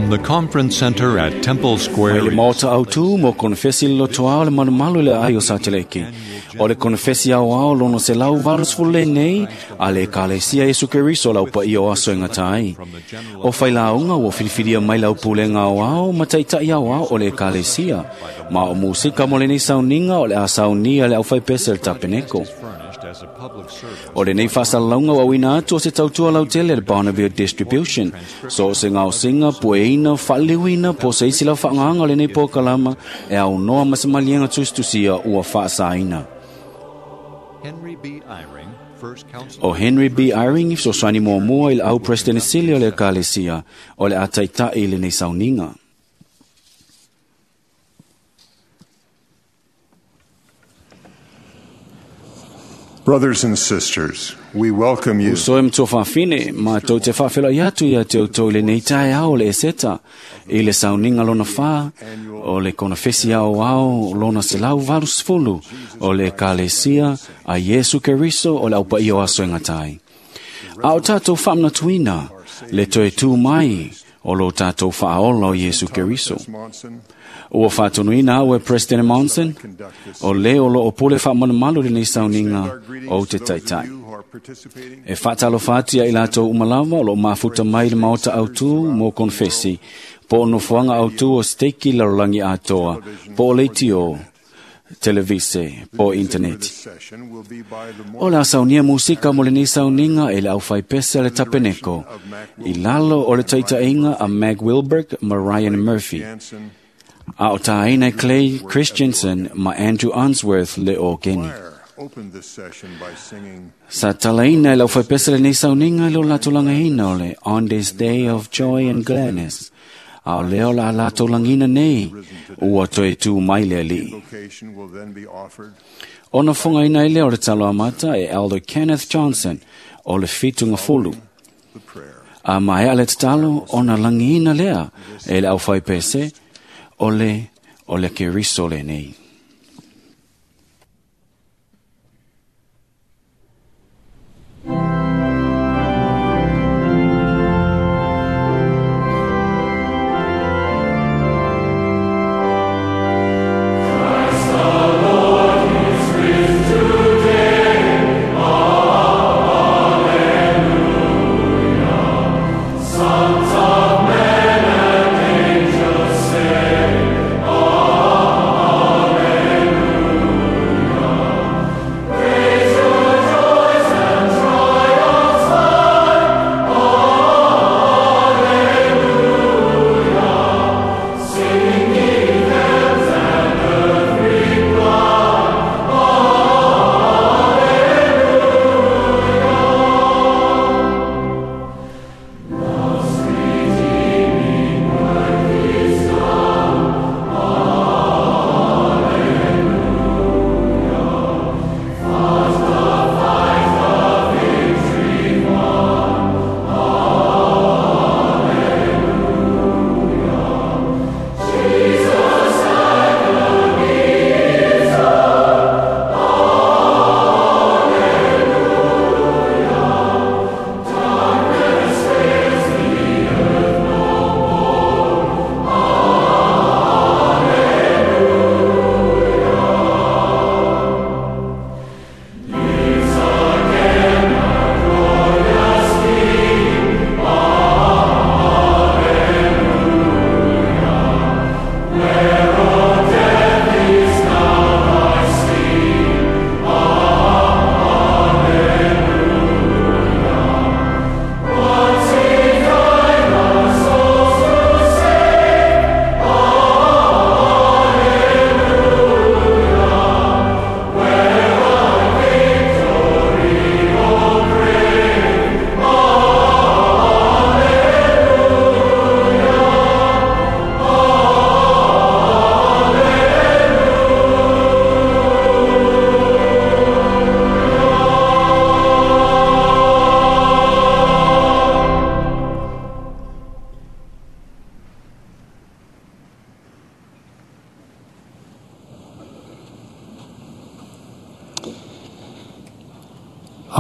From the Conference Center at Temple Square. Mai le maota autū mo konefesi le lotoa o le malumalu le ai o Sateleki. O le konefesi au ao lono se lau varus fule nei, a le ekalesia Iesu Keriso lau pa o aso e ngata ai. O whailaunga ua filifilia mai lau pulenga au ao, ma taitai au ao o le ekalesia. Ma o musika mo lenei sauninga o le a saunia le au whaipese le tapeneko. O lenei whasalalaunga wa wina atu o se tautua lautele le Bonneville Distribution. So o se ngausinga, pueina, whaaliwina, po se isi lau whaanganga o lenei pōkalama e au noa masamalienga tustusia ua whaasaina. Henry B. Eyring, First Council. O Henry B. Eyring i fesoasoani muamua i le au President sili o le ekalesia o le a taitai i lenei sauniga. Brothers and sisters, we welcome you Uso e matua faafine, matou te faafeiloai atu ia te outou i lenei taeao o le Eseta, i le sauniga lona 4 o le konefesi aoao lona 180 o le ekalesia a Iesu Keriso o le aupaia o aso e gata ai. A o tatou faamanatuina le toe tū mai o lo tatou faaola o Iesu Keriso. Monson Ua faatonuina au e President Monson, o le o loo pule faamalumalu lenei sauniga o te those of taitai. you who are participating E whaatalofa atu ia i latou uma lava o loo mafuta mai le maota autū mo konfesi, po o nofoaga autū o steiki lalolagi atoa, po o leitio, televise, po o for interneti. this session will be by the O la saunia musika mo lenei sauniga e le aufaipese a le tapeneko, i lalo o le taitaiga a Mag Wilberg ma Ryan Murphy, Jansen a o tāina e Clay Christensen ma Andrew Unsworth le o Keni. Choir opened this session by singing Sa talaina e lau whaipesa lenei sauniga i lo latou lagaina o le On This Day of Joy and Gladness. A o lea o la latou lagina nei, ua toe tū mai le alii. invocation will then be offered Ona whangaina i lea o le talo amata e Elder Kenneth Johnson o le whitunga fulu. the prayer. A mai a le tatalo ona lagina lea e le au whaipese o le Keriso lenei.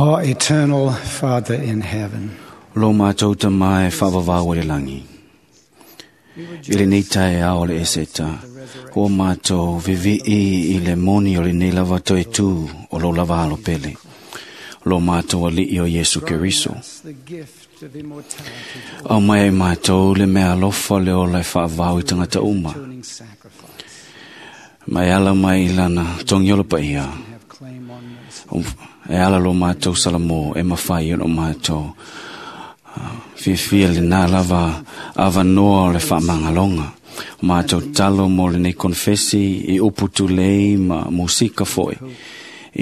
Our eternal Father in heaven, Lo mātou ta mai whawawawa le langi. I lenei taeao o le Eseta, ua mātou vivi'i i le moni o lenei lava toe tū o lou lava alo pele, lo mātou Alii o Iesu Keriso. Aumai ai mātou le mea alofa le ola e faavao i tagata uma. Ma e ala mai i lana togiolo paia, e ala lo mātou salamo e mafai ona o mātou fiafia lenā lava avanoa o le faamagaloga. O mātou tatalo mo lenei konefesi i upu tulei ma musika fo'i,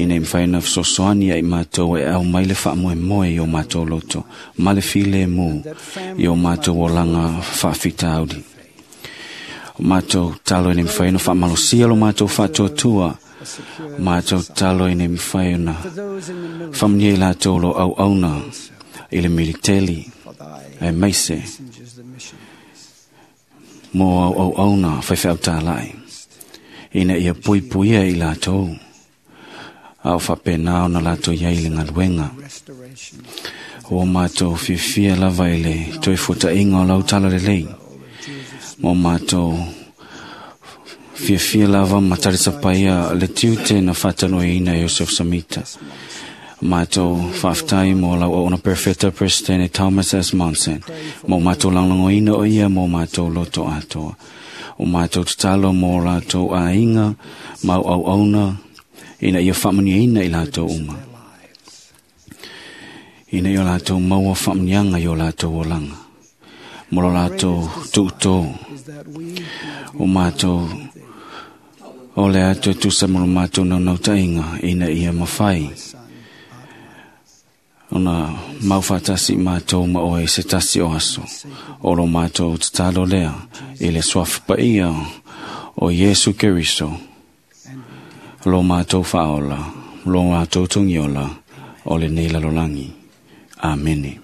ina ia mafai ona fesoasoani ai mātou e aumai le faamoemoe i o mātou loto ma le filemu i o mātou olaga faafitauli. O mātou tatalo ina ia mafai ona faamalosia lo mātou faatuatua. O mātou tatalo ina ia mafai ona faamanuia i latou o lo o auauna i le militeli, aemaise mo auauauna faifeau tālai, ina ia puipuia i latou, a o faapena ona latou iai i le galuega. Ua mātou fiafia lava i le toe fuataʻiga o lau tala lelei, ma o mātou fiafia lava ma talisapaia le tiute na faatanoaina e Iosef Samita. Mātou faafetai mo lau auauna perfeta Presidente Thomas S. Monson, mo mātou lagolagoina o ia mo mātou loto atoa. O mātou tatalo mo latou aiga ma auauauna, ina ia faamanuiaina i latou uma, ina ia latou maua faamanuiaga i o latou olaga mo lo latou tuutō. O mātou o le atu e tusa mo lo mātou naunautaiga, ina ia mafai ona maufaatasi mātou ma oe i se tasi o aso. O lo mātou tatalo lea i le suafa paia o Iesu Keriso, lo mātou faaola, lo mātou togiola o lenei lalolagi. Amene.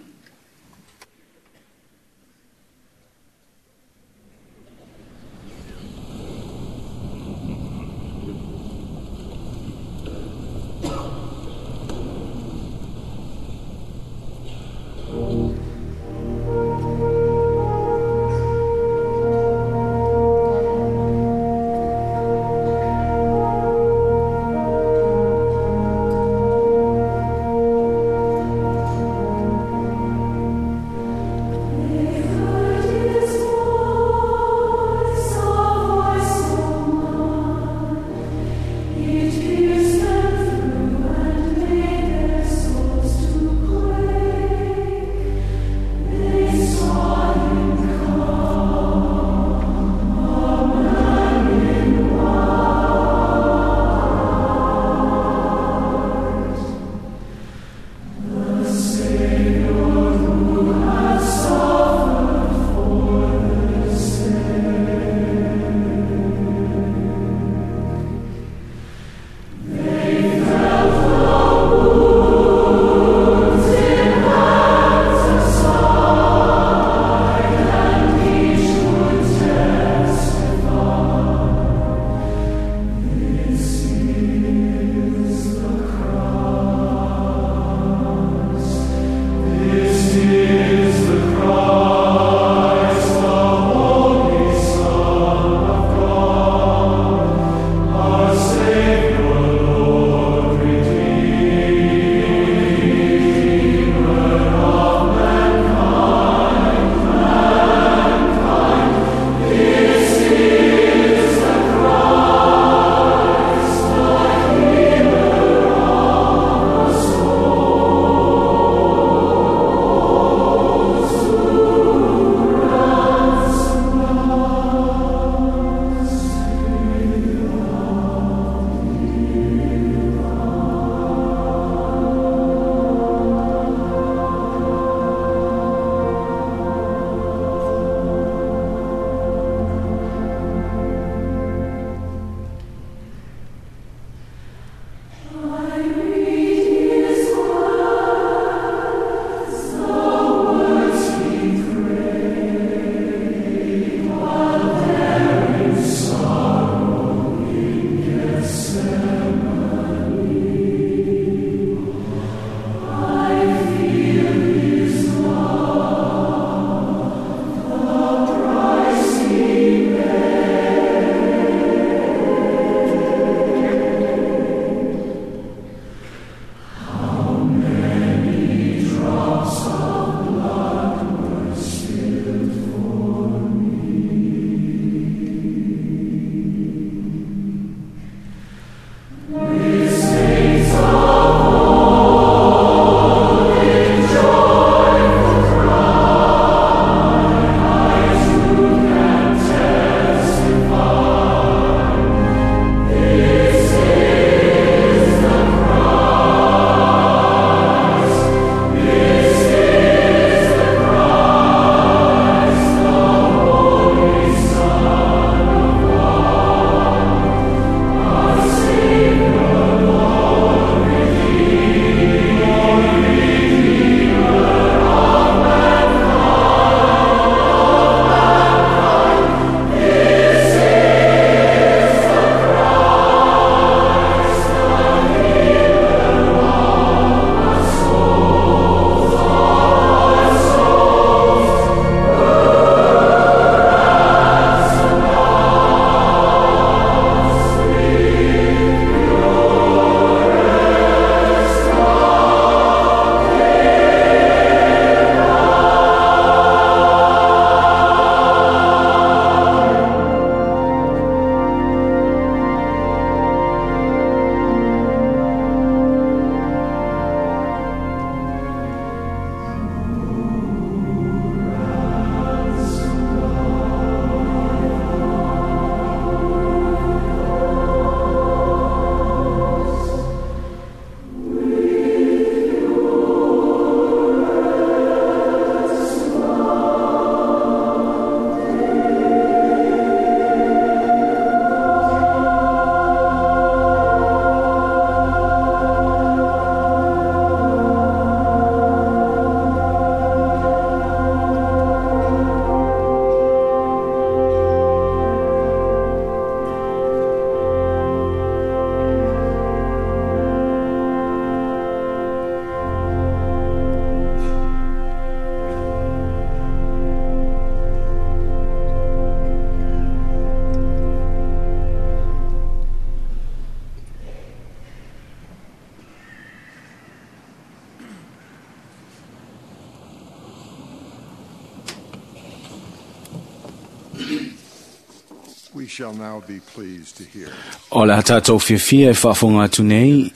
We shall now be pleased to hear O le tātou fiafia e faafofoga atu nei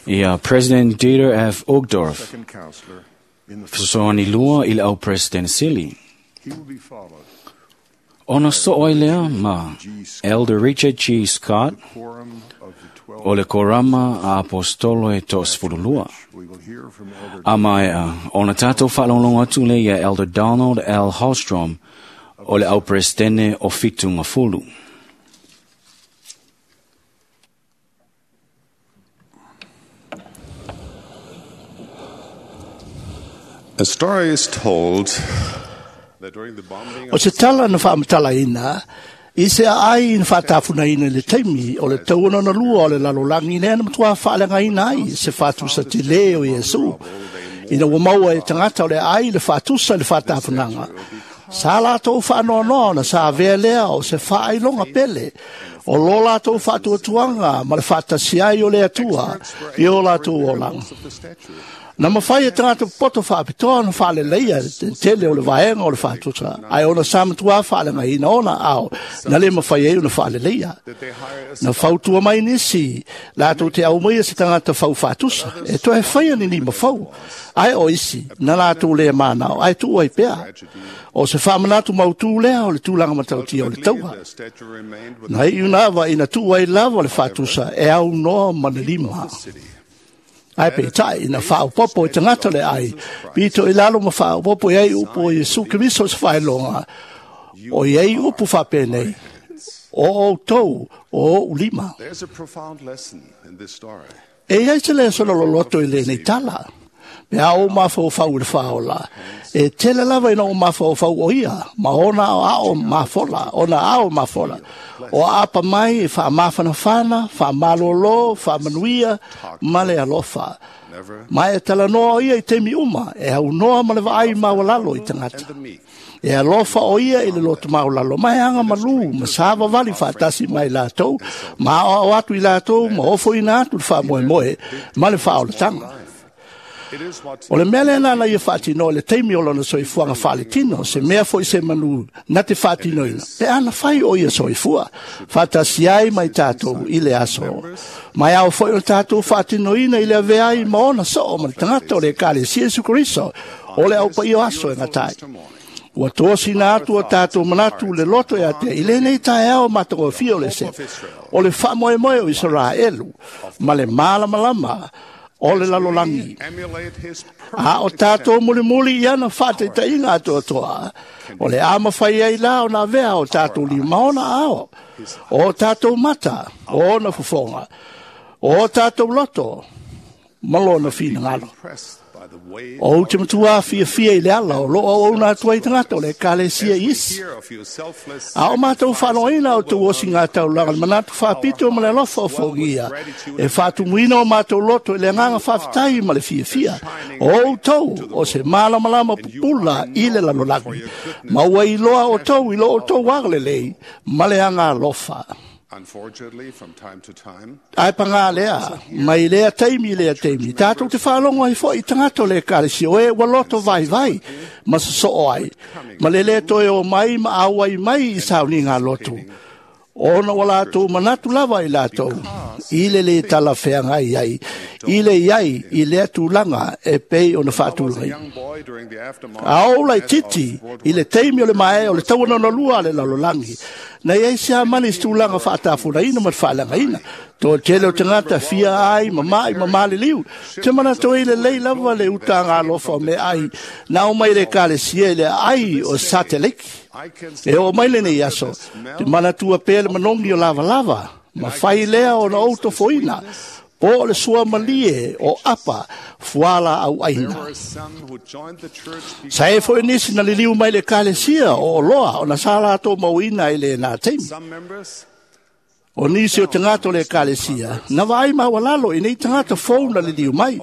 ia President Dieter F. Uchtdorf, second counselor in the fesoasoani lua i le au President Sili. He will be followed Ona soo ai lea ma Elder Richard G. Scott quorum of the 12 o le korama a apostolo e toasefululua. We will hear from Elder A maea, ona tātou faalogologo atu lea ia Elder Donald L. Holstrom o le au Presidente o Fitu Ngafulu. A story is told that during the bombing O se tala na faamatalaina, i se aai na faatafunaina i le taimi o le tauana na lua o le lalolagi lea na matuā faaleagaina ai se faatusa telē o Iesu. Ina ua maua e tagata o le aai le faatusa i le faatafunaga. Sa latou faanoanoa ona sa avea lea o se faailoga pele o lo latou faatuatuaga ma le faatasi ai o le Atua i o latou olaga. of the statue, Na mawhai e tagata poto whaapitoa na whaaleleia te tele o le vaenga o le whaatusa. Ai ona sa matua whaalengaina ona ao na le mawhai e ona whaaleleia. that they hire a Na fautua mai nisi, lātou te au mai e se tagata fau whaatusa. E toe whai ani ni mawhau. Ai o isi, na lātou lea mānao, ai tuu ai pea. O se whaamanatu mautū lea o le tūlanga matautia o le taua. The statue remained with Na i unava ina tuu ai lava le whaatusa e au noa ma le lima. the city. Ai pe tai na whaopopo i tangata le ai. Pito i lalo ma whaopopo i ai upu o Iesu Keriso se whaelonga. O i ai upu whapenei. O o tau o o ulima. There's a profound lesson in this story. E iai se le solo loloto i le nei tala. Pe a o mawhau i le whaola. E tele lava ina o mawhau o ia. Ma ona o ao mafola. Ona ao mafola. O apa mai e wha mawhanawhana, wha malolo, wha manuia, ma le alofa. Never Ma e talanoa o ia i temi uma, e au noa ma le vaai maualalo i tagata. the meek. E alofa o ia i le loto maulalo, ma e anga malu, ma sava vali whaatasi mai lātou, ma ao atu i lātou, ma ofo ina atu le whaamoemoe, ma le whaolatanga. It is what O le mea lea nana ia whaatino, le teimi o lona soifuaga faaletino, se mea foi se manu na te faatinoina. Pe ana fai o ia soifua, faatasi ai mai tātou i le aso. Mai ao foi o tātou faatinoina i le avea ai ma ona soo ma le tagata o le Ekalesia Iesu Keriso, o le au paia o aso e gatai. Ua tosina atu o tātou manatu le loto e atea i lenei taeao matagofie o le se. O le faamoemoe o Isaraelu ma le malamalama o le lalolagi. emulate his A o tātou mulimuli i ana whātaitaiga atoatoa. O le ama whai ai la o nā vea o tātou lima ona ao. O tātou mata, o ona fufonga. O tātou loto, ma lona whinangalo. impressed by the way O te matua fia fia i le ala o loa o una atua i tangata o le ekalesia isi. hear of your selfless A o mātou whanoina o tau osi ngā taulanga, le manatu whapito ma le alofa o whaugia. E whātumuina o mātou loto i le nganga whawhitai ma le fiafia. O outou o se malamalama pupula i le lalolagi. Ma ua iloa o tou i lo o tou agalelei ma le anga alofa. Unfortunately, from time to time, Ai pangā lea, mai lea taimi lea taimi. Tātou te whaalongo ai foi i tagata o le ekalesia, o e ua loto vai vai, ma sosoo ai. Ma le le toe o mai ma auai mai i sauni ngā loto. Ona ua lātou manatu lava i lātou, i le le tala wheanga i ai, i le iai i lea tūlanga e pei o na I was a whaatūlanga. young boy during the aftermath A ola i of titi, World i le teimi o le mae o le tauana na lua le lalolagi. Na iai se amani se tulaga faatafunaina ma le faalagaina. To tele o tagata fia ai ma mai ma maliliu. Te manato i le lei lava le utaga alofa o meaai. Na o mai le ekalesia i le ai o Sateliki. I can E o mai lenei aso, te manatua pea le manogi o lavalava, ma fai lea o na outofoina, po o le sua malie o apa fuala au There aina. were some who joined the church Sa e foi nisi na liliu mai le ekalesia o oloa o na sa latou mauina i le nā taimi. Some members O nisi o tagata o le ekalesia, na vaai maualalo i nei tagata fou na liliu mai.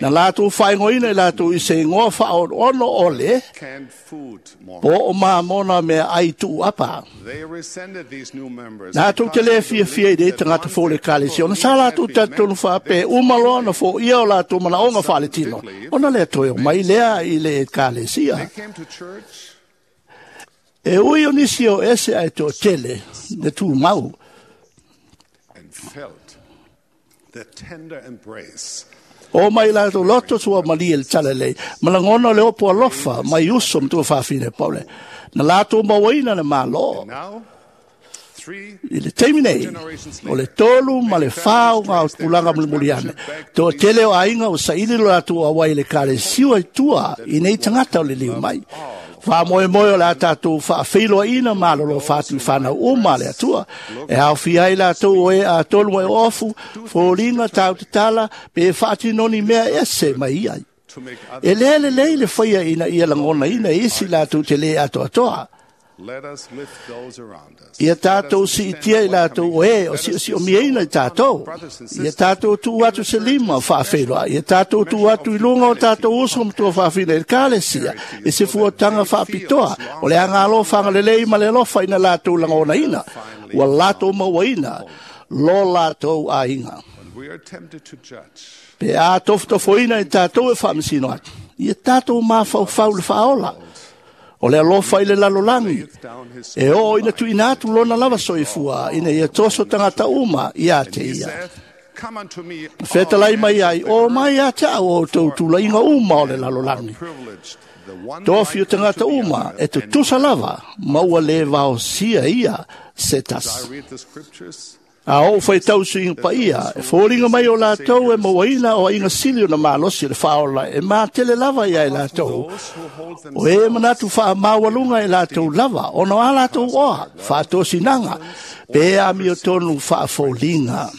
Na latou faaigoaina i latou i se igoa faaono o le, canned food more. po o mamona mea ai tuu apa. They resented these new members. Latou te le fiafia i nei tagata fou le ekalesia, ona sa latou talitonu faapea uma loa na foia o latou manaoga faaletino. Ona lea toe o mai lea i le ekalesia. They came to church E ui o nisi o ese ae toatele, le tumau. O mai latou loto sua malie le talalelei ma lagona o le opo alofa mai uso ma tuafafine Paule na latou mauaina le Mālō. I le taimi nei, o le 3 ma le 4 o ngā tulaga mulimuli ane. Toatele o aiga ua saili lo latou auai i le ekalesia i tua i nei tagata o le liu mai. Faamoemoe o le a tatou faafeiloaiina malolo fatu i whanau uma le Atua. E aofia ai latou o e atonu e ofu, foliga tau tatala, pe faatinoni mea ese mai ai. E le lelei le faia ina ia lagonaina e isi latou te le atoatoa. Ia tātou siitia i latou o e o si'osi'omiaina i tātou. Ia tātou tuu atu se lima o faafeiloa. Ia tātou tuu atu i luga o tātou uso ma tuafafine i le ekalesia i se fuataga faapitoa o le agalo fagalelei ma le alofa ina latou lagonaina ua latou mauaina lo latou aiga. Pe a tofotofoina i tātou e faamasino atu, ia tātou mafaufau le faaola o le alofa i le lalolagi e oo ina tuuina atu lona lava soifua ina ia toso tagata uma ia te ia. Fetalai mai ai, o mai ia te au o outou tulaiga uma o le lalolagi. Tofi o tagata uma e tutusa lava ma ua lē vaosia ia se tasi. A ou faitau suiga paia, e foliga mai o latou e mauaina o aiga sili ona malosi o le faaola e matele lava ia i latou. O e manatu faamaualuga e latou lava, ona o a latou oa, faatosinaga, pe amiotonu faafoliga.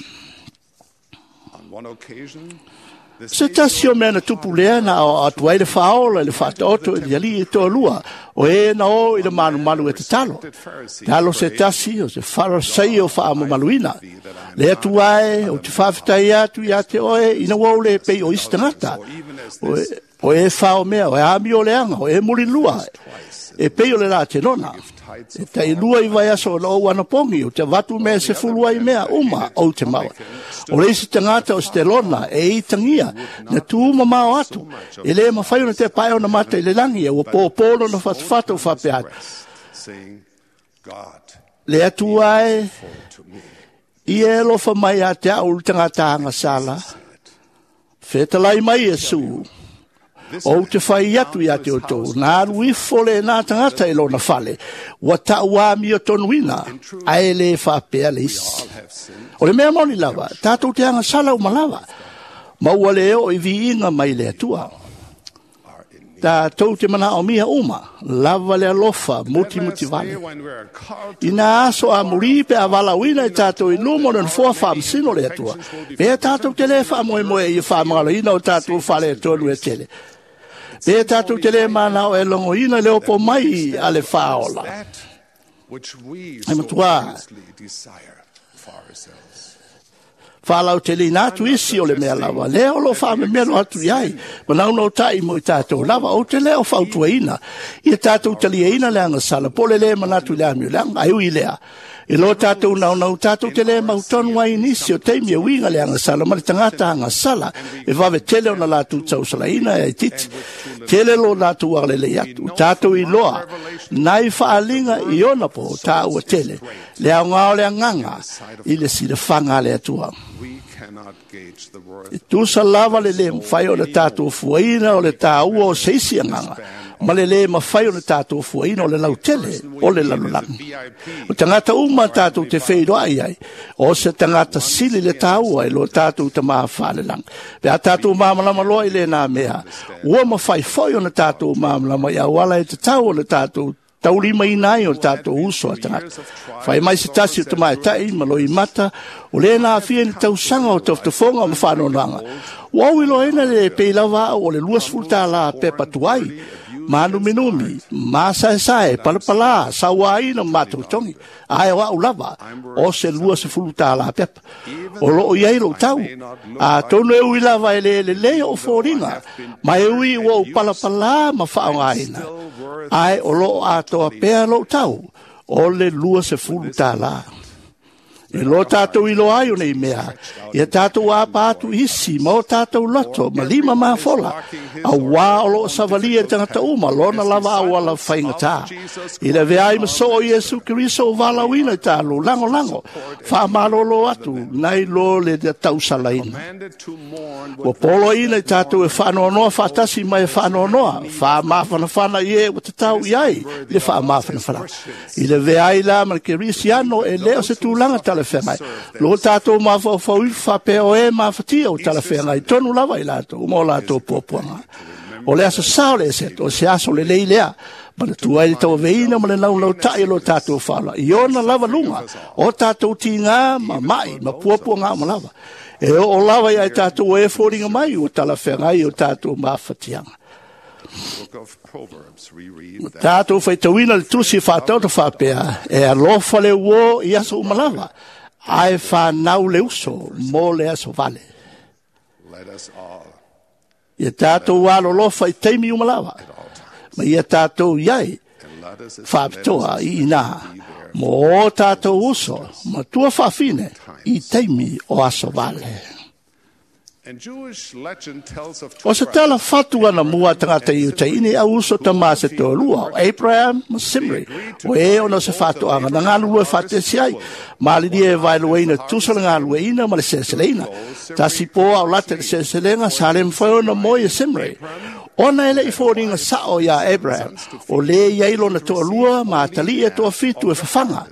Se tasi o mea na tupu lea na aoao atu ai le faaola i le faataoto i le alii e toalua, o e na o i le malumalu e tatalo. Talo se tasi o se Farasaio faamamaluina. Le Atua e, ou te faafetai atu ia te oe ina ua ou le pei o isi tagata. O e fao mea, o e amio leaga, o e mulilua, e pei o le latenona. E tailua i vaiaso o na ou anapogi, ou te avatu mea e 10 ai mea uma ou te maua. O le isi tagata o Stelona e itagia, na tu mamao atu, e le mafai ona te pae ona mata i le lagi, e ua pōpō lona fatufatu o faapea atu. Le Atua e, ia e alofa mai ia te au le tagata agasala, fetalai mai Iesu, ou te fai atu ia te outou, na alu ifo le nā tagata i lona fale, ua ta'uamio tonuina, ae lē faapea le isi. O le mea moni lava, tātou te agasala uma lava, ma ua le oo i viiga mai le Atua. Tātou te manaomia uma, lava le alofa mutimuti vale. Ina aso a muri pe a valauina i tātou i luma o le nofoa faamasino le Atua, pe tātou te lē faamoemoe i faamagaloina o tātou fale e tonu e tele. Pe tātou te lē manao e logoina le opo mai a le faaola. E matuā, faalauteleina atu isi o le mea lava, lea o lo faamemelo atu iai, manauna o ta'i mo i tātou lava, ou te lea o fautuaina, ia tātou taliaina le agasala, po le lē manatu i le amio leaga, ai ui lea. I lo tātou naunau, tātou te lē mautonu ai nisi o taimi e uiga le agasala, ma le tagata agasala, e vave tele ona latou tausalaina e aititi, tele lo latou agalelei atu, tātou iloa, nai faaliga i ona po tāua tele, le aoga o le agaga i le silafaga a le Atua. E tusa lava le lē mafai o le tātou fuaina o le tāua o se isi agaga, ma le lē mafai o le tātou fuaina o le lautele o le lalolagi. O tagata uma tātou te feiloai ai, o se tagata sili le tāua i lo tātou tamā faalelagi. Pe a tātou māmalama loa i lēnā mea, ua mafai foi ona tātou māmalama i auala e tatau o le tātou taulimaina ai o tātou uso a tagata. Fai mai se tasi o te maeta'i ma loi mata, o lē na afia ni tausaga o tofotofoga ma faanoanoaga. Ua au iloaina le pei lava a'u o le 20 tālā pepa tuai, manuminumi, masaesae, palapalā, sauāina ma matou togi, ae o a'u lava, o se 20 tālā pepa. O loo i ai lou tau, atonu e ui lava e le lelei o foliga, ma e ui ua ou palapalā ma faaogaina, ae o loo atoa pea lou tau, o le 20 tālā. E lo tātou i loa ai o nei mea, ia tātou apa atu isi ma o tātou loto, ma lima mafola, a wā o loo savalia e tangata uma, lona lava au ala whaingatā. I le veai ma soo Iesu Keriso o valauina i tālo, lango lango, whaamalolo atu, nai lo le tausalaina. Ua polo ina i tātou e whaanoanoa whaatasi mai e whaanoanoa, whaamawhanawhana i e ua te tau i ai, le whaamawhanawhana. I le veai la ma le Kerisiano e leo se tūlanga talawhengai. Lo tātou mawhaufau i whapeo e mawhatia o talawhengai. Tonu lava i lātou, mo lātou puapuanga. O le aso sao le eseto, o se aso le lei lea. Ma le tuai le tau veina ma le laulau tai lo tātou whala. I ona lava lunga, o tātou tingā ma mai, ma puapuanga ma lava. E o lava i ai tātou e fōringa mai o talawhengai o tātou mawhatianga. Tātou whaitauina le tusi whātauta whāpea, e alofa le uo i aso umalava, ae whānau le uso mō le aso vale. Ia tātou alolofa i teimi umalava, ma ia tātou iai whāpitoa i inā, mō o tātou uso, ma tua whawhine i teimi o aso vale. O se tala whatu ana mua tangata i utai ini au uso tama se tōlua, Abraham ma Simri, o e ona se whatu anga na ngālu e whatesi ai, malini e vailueina tusa le ngālueina ma le seseleina. Tasi pō au late le seselenga sa le mwhaiona moi e Simri. Ona ele i fōringa sao ia Abraham, o le iai lona toalua ma atali e toa fitu e whawhanga.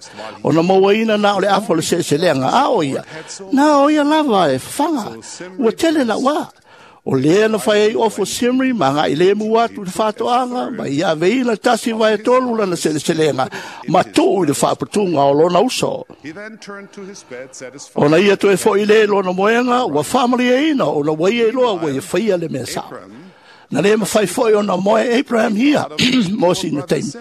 Ona mauaina na o le afo le seselenga a o ia, na o ia lava e whawhanga, ua tele na wā. O lea na whai ai ofo Simri, ma ngā i le mua atu le whātoanga, ma ia veina tasi vai tolu lana seleselenga, ma tuu i le whaaputunga o lona uso. Ona ia toe fo i le lona moenga, ua whaamalia ina, ona waia i loa ua ia whaia le mea sao. Na le mawhai foi ona moe Abraham hia, mō na teimi.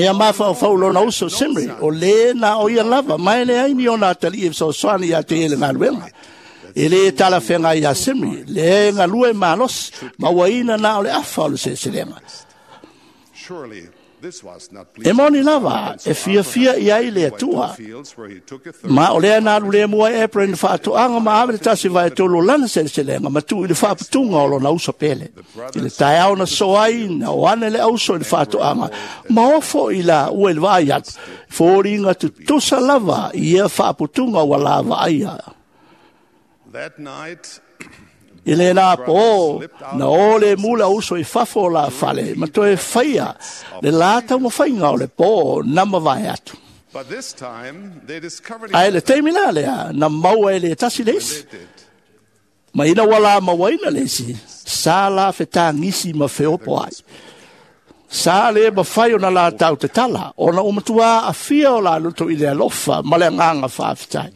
Ia mawhau whau lona uso Simri, o le na o ia lava, mai le aini ona atali e sosoani ia te ele ngāluenga. E le tala whenga ia Simri, le ngalue malos, ma waina na o le afa o le seselenga. E moni lava, e fia fia i ai le atua. Ma o lea nā lule mua e Abraham whaatoanga ma ave le tasi vai tolu lana seleselenga, ma tu i le whaaputunga o lona uso pele. I le taeao na soai, na o ane le auso i le whaatoanga, ma ofo i la ua le vai atu, fōringa tutusa lava i ia whaaputunga ua lava aia. I le nā pō, na o le mula uso i fafo la fale, ma toe whaia, le lātau mawhainga o le pō, na mawai atu. Ai le teimi la lea, na maua e le tasi le isi. Ma ina wala mawaina le isi, sa la whetangisi ma wheopo ai. Sa le mawhai o na lātau te tala, o na umatua a fia o la luto i le alofa, ma le anganga whaafetai.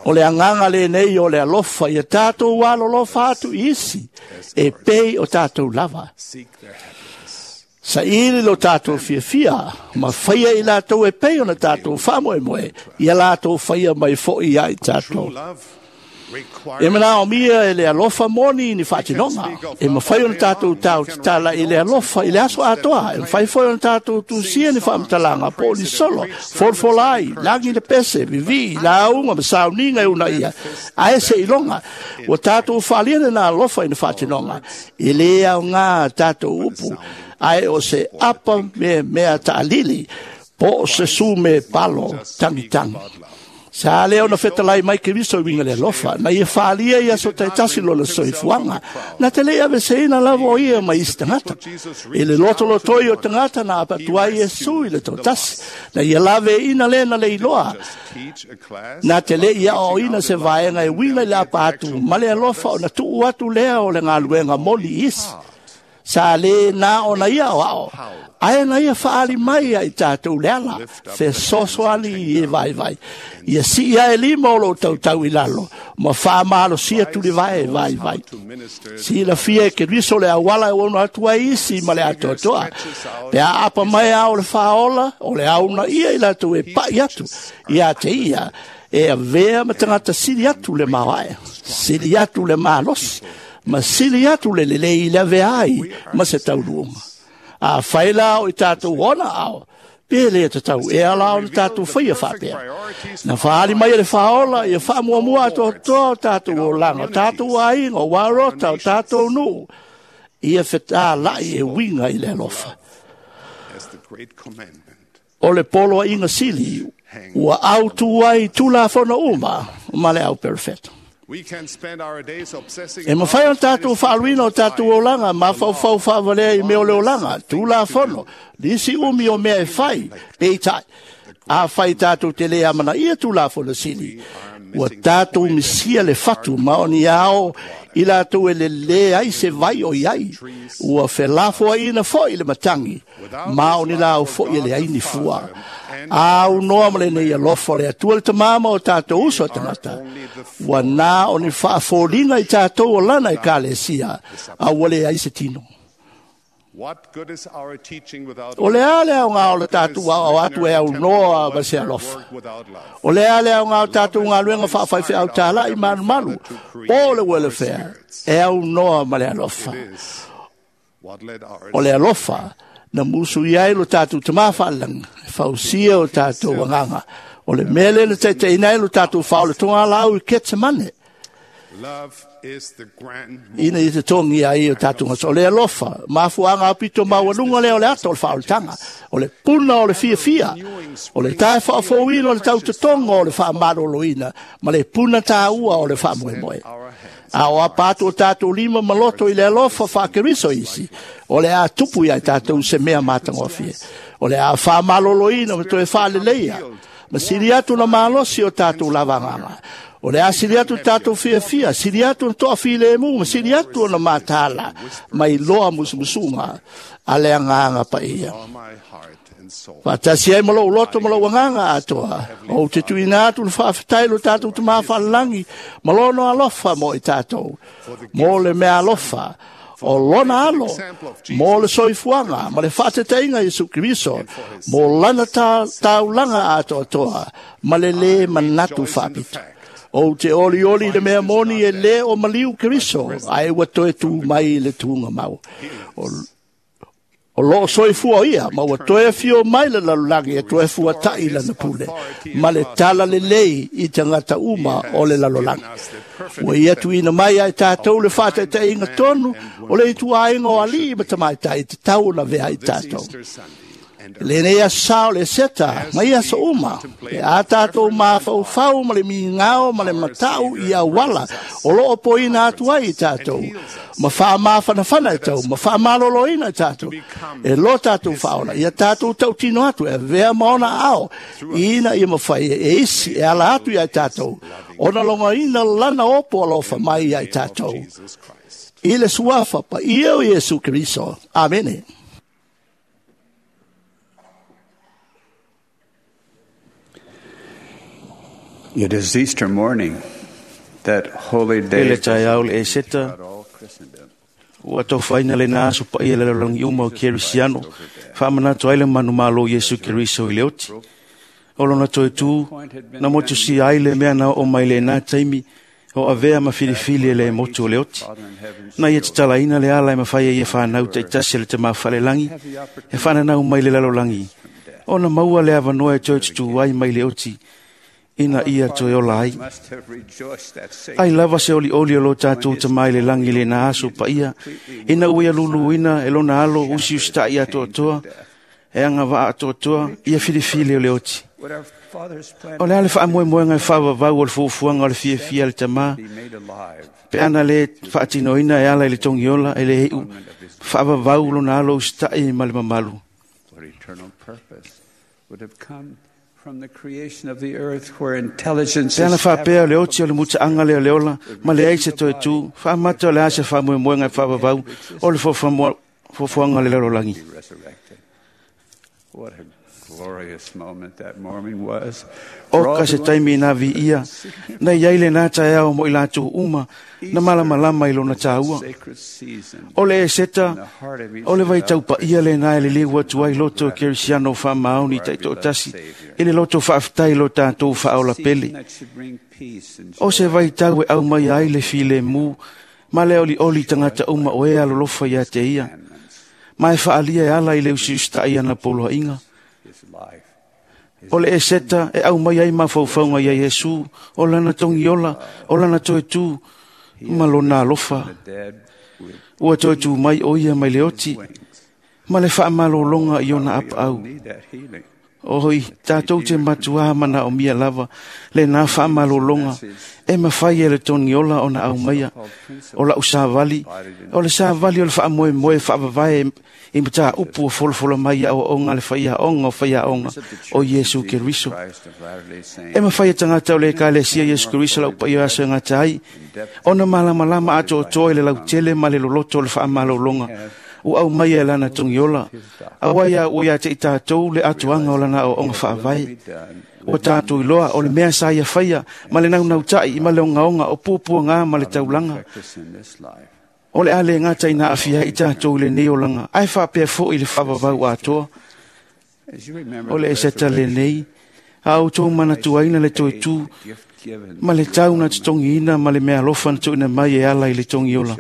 O le anganga le nei o le alofa, ia tātou alolofa atu isi, e pei o tātou lava. Sa ili lo tātou fia fia, ma whaia i lātou e pei o na tātou whamoe moe, ia lātou whaia mai fo i ai tātou. E mana o mia e le alofa moni ni whaatinonga. E mawhai o na tātou tau te tala i le alofa i le aso atoa. E mawhai foi o na tātou tūsia ni whaamatalanga, po ni solo, forfolai, langi le pese, vivi, launga, masauninga e una ia. Ae se ilonga, ua tātou whaaliana na alofa i na whaatinonga. E le au ngā tātou upu, ae o se apa me mea taalili, po o se sume palo tangi tangi. Sa leo na whetalai mai ke viso winga le alofa, na ia whaalia ia so taitasi lola soifuanga, na te lea veseina lava o ia mai isi tangata. E le loto lotoi o tangata na apatua i e sui le tautasi, na ia lave ina le na le iloa, na te le ia o ina se vaenga e winga i le apa atu, ma le alofa o na tuu atu lea o le ngāluenga moli isi. Sa le na o na ia o ao, ae na ia whaali mai ai tātou le ala, fe sosoali i e vai vai. Ia si ia e lima o lo tautau i lalo, ma whaamalo sia tuli vai vai vai. Si la fia e ke riso le awala e ono atua isi ma le atoatoa. Pe a apa mai ao le whaola, o le au na ia i lātou e pai atu, ia te ia, e a vea matangata sili atu le mawae, sili atu le malosi. Ma sili atu le lelei i lave ai ma se tauluunga. A whaila o i tātou ona ao, Pe le tatau e ala o le tātou whaia whapea. Na whaali mai e le whaola ia whaamuamua atoatoa o tātou olaga, o tātou aiga, o warota, o tātou nuu. Ia fetālai e winga i le alofa. O le poloaiga sili ua autu ai Tulafono uma ma le au perfeto. E mawhai o tātou whaaluina o tātou olaga, mafaufau whaavalea i mea o le olaga, Tulafono, nisi umi o mea e whai, peitai, a whai tātou te lea mana ia Tulafono sili, ua tātou misia le fatu ma o ni ao i lātou e le le ai se vai o iai, ua whelafoa ina foi le matangi, ma o ni lau foi e le ai ni fua. Au noa ma le nei alofa o le Atua le tamama o tātou uso a tangata. Ua nā o ni whaafōlinga i tātou o lana e kalesia, a ua le ai se tino. O le a le au ngā o le tātou au atu e au noa ma se alofa. O le a le au ngā o tātou ngā luenga whaawhaiwhe au tāla i manu malu, o le ua le whea, e au noa ma le alofa. O le alofa, na musu iai lo tātou tamawhaalang, whausia o tātou anganga. O le mele le teite inai lo tātou whaole tonga lau i Ketsemane. Ina i te tongi ai o tātou ngasa. O le alofa, mafuanga apito maualunga lea o le ata o le whaoletanga. O le puna o le fiafia. O le tae whaafouina o le tau te tonga o le whaamaroloina. Ma le puna tāua o le whaamoemoe. A o apatu o tātou lima maloto i le alofa whaakeriso isi. O le a tupu ia tātou se mea mātangofie. O le a whaamaloloina ma toe whaaleleia. Ma siri atu na malosi o tātou lavanganga. O le a siri atu tātou fiafia, siri atu na toa filemu, ma siri atu na mātāla, mai loa musumusunga, a le anganga pa ia. Whaatasi ai malo uloto malo anganga atoa. O te tuina atu le whaafetai lo tātou te mawhalangi, malono alofa mo i tātou. Mo le mea alofa, o lona alo, mo le soifuanga, ma le whaateteinga Yesu Keriso, mo lana taulanga atoa toa, ma le le manatu whaapito. O te oli oli le mea moni e le o maliu Keriso, ai ua toe tū mai le tūnga mau. O loo soifua ia, ma ua toe fio mai le lalolagi e toe fua tai lana pule, ma le tala lelei i tangata uma o le lalolagi. Ua ia tuina mai ai tātou le whātaitaiinga tonu, o le ituainga o alii ma tamaitai te tau na vea i tātou. Le nei aso le seta, mai aso uma, e a tātou mafaufau ma le mingao ma le matau i awala, o loo poina atu ai i tātou, ma whaamawhanawhana i tau, ma whaamaloloina i tātou, e lo tātou whaola, ia tātou tautino atu, e vea maona ao, ina ia mawhai e isi, e ala atu ia i tātou, ona longa ina lana opo alofa mai ia i tātou. I le suafa pa ia o Yesu Kristo. Amene. It is Easter morning, that holy day. Ele taeao le Eseta, ua taufaina le na aso paia le lalolagi uma o Kerisiano, faamanatu ai le manumalo Iesu Keriso i le oti. O lona toe tū, na motusia ai le mea na oo mai lenā taimi, o avea ma filifili e le motu o le oti. Na ia tatalaina le ala e mawhai e ia whanau taitasi le te mawhalelangi, e whananau mai le lalolagi. Ona maua le avanoa e toe tutu ai mai le oti, ina ia toe ola ai. Ai lava se oli oli o lo tātou te mai le langi le nā aso pa ia, ina ua ia luluina e lona alo usi usita'i atoatoa, e anga waa atoatoa, ia filifili o le oti. O le ale whaamoemoenga e whaawawau o le fuafuaga o le fiafia le tamā, pe ana le whaatinoina e ala i le togiola e le hei'u, whaawawau lona alo usita'i ma le mamalu. Pe ana whaapea o le oti o le muta'aga lea o le ola, ma le ai se toe tū, whaamata o le ase whaamoemoenga e whaawawau o le fuafuaga o le lalolagi. O ka se taimi nā vi ia, nei ai le nā taeao mo i lātou uma, na malamalama i lona tāua. O le Eseta, o le vai taupaia le nā e le liu atu ai loto Kerisiano whaamaoni taitoatasi, i le loto whaafetai lo tātou whaola pele. O se vai tau e au mai ai le file mū, ma le oli oli tangata uma o e alolofa ia te ia. Ma e whaalia e ala i le usi usita'i ana poloainga. O le eseta e au mai ai mafaufauga ia Iesu, o lana togiola, o lana toetū, ma lona alofa. Ua toetū mai o ia mai le oti, ma le faamalologa i ona apaau. Oi, tātou te matuā mana o mia lava, le nā whaamalologa, e mawhai e le togiola o na au maia, o lau sāvali, o le sāvali o le whaamoe moe whaavavae i mata upu o folofola mai a o onga le whaia onga o whaia onga o Iesu Keriso. E mawhai e tangata o le ekalesia Iesu Keriso lau paio aso e ngata ai, ona malamalama ato o toi le lautele ma le loloto o le whaamalologa, o au mai e lana togiola, aua ia ua ia te i tātou le atuanga o lana o onga whaavai. O tātou iloa o le mea sa ia whaia, ma le naunautai, ma le ongaonga, o pupua ngā ma le taulanga. O le ale ngata ina awhia i tātou le nei olanga, ai whaapea fo i le whaavavau atoa. O le eseta le nei, a o tō manatuaina le toe tū, ma le tau na te tongiina ma le mea alofa na tuuina mai e ala i le togiola.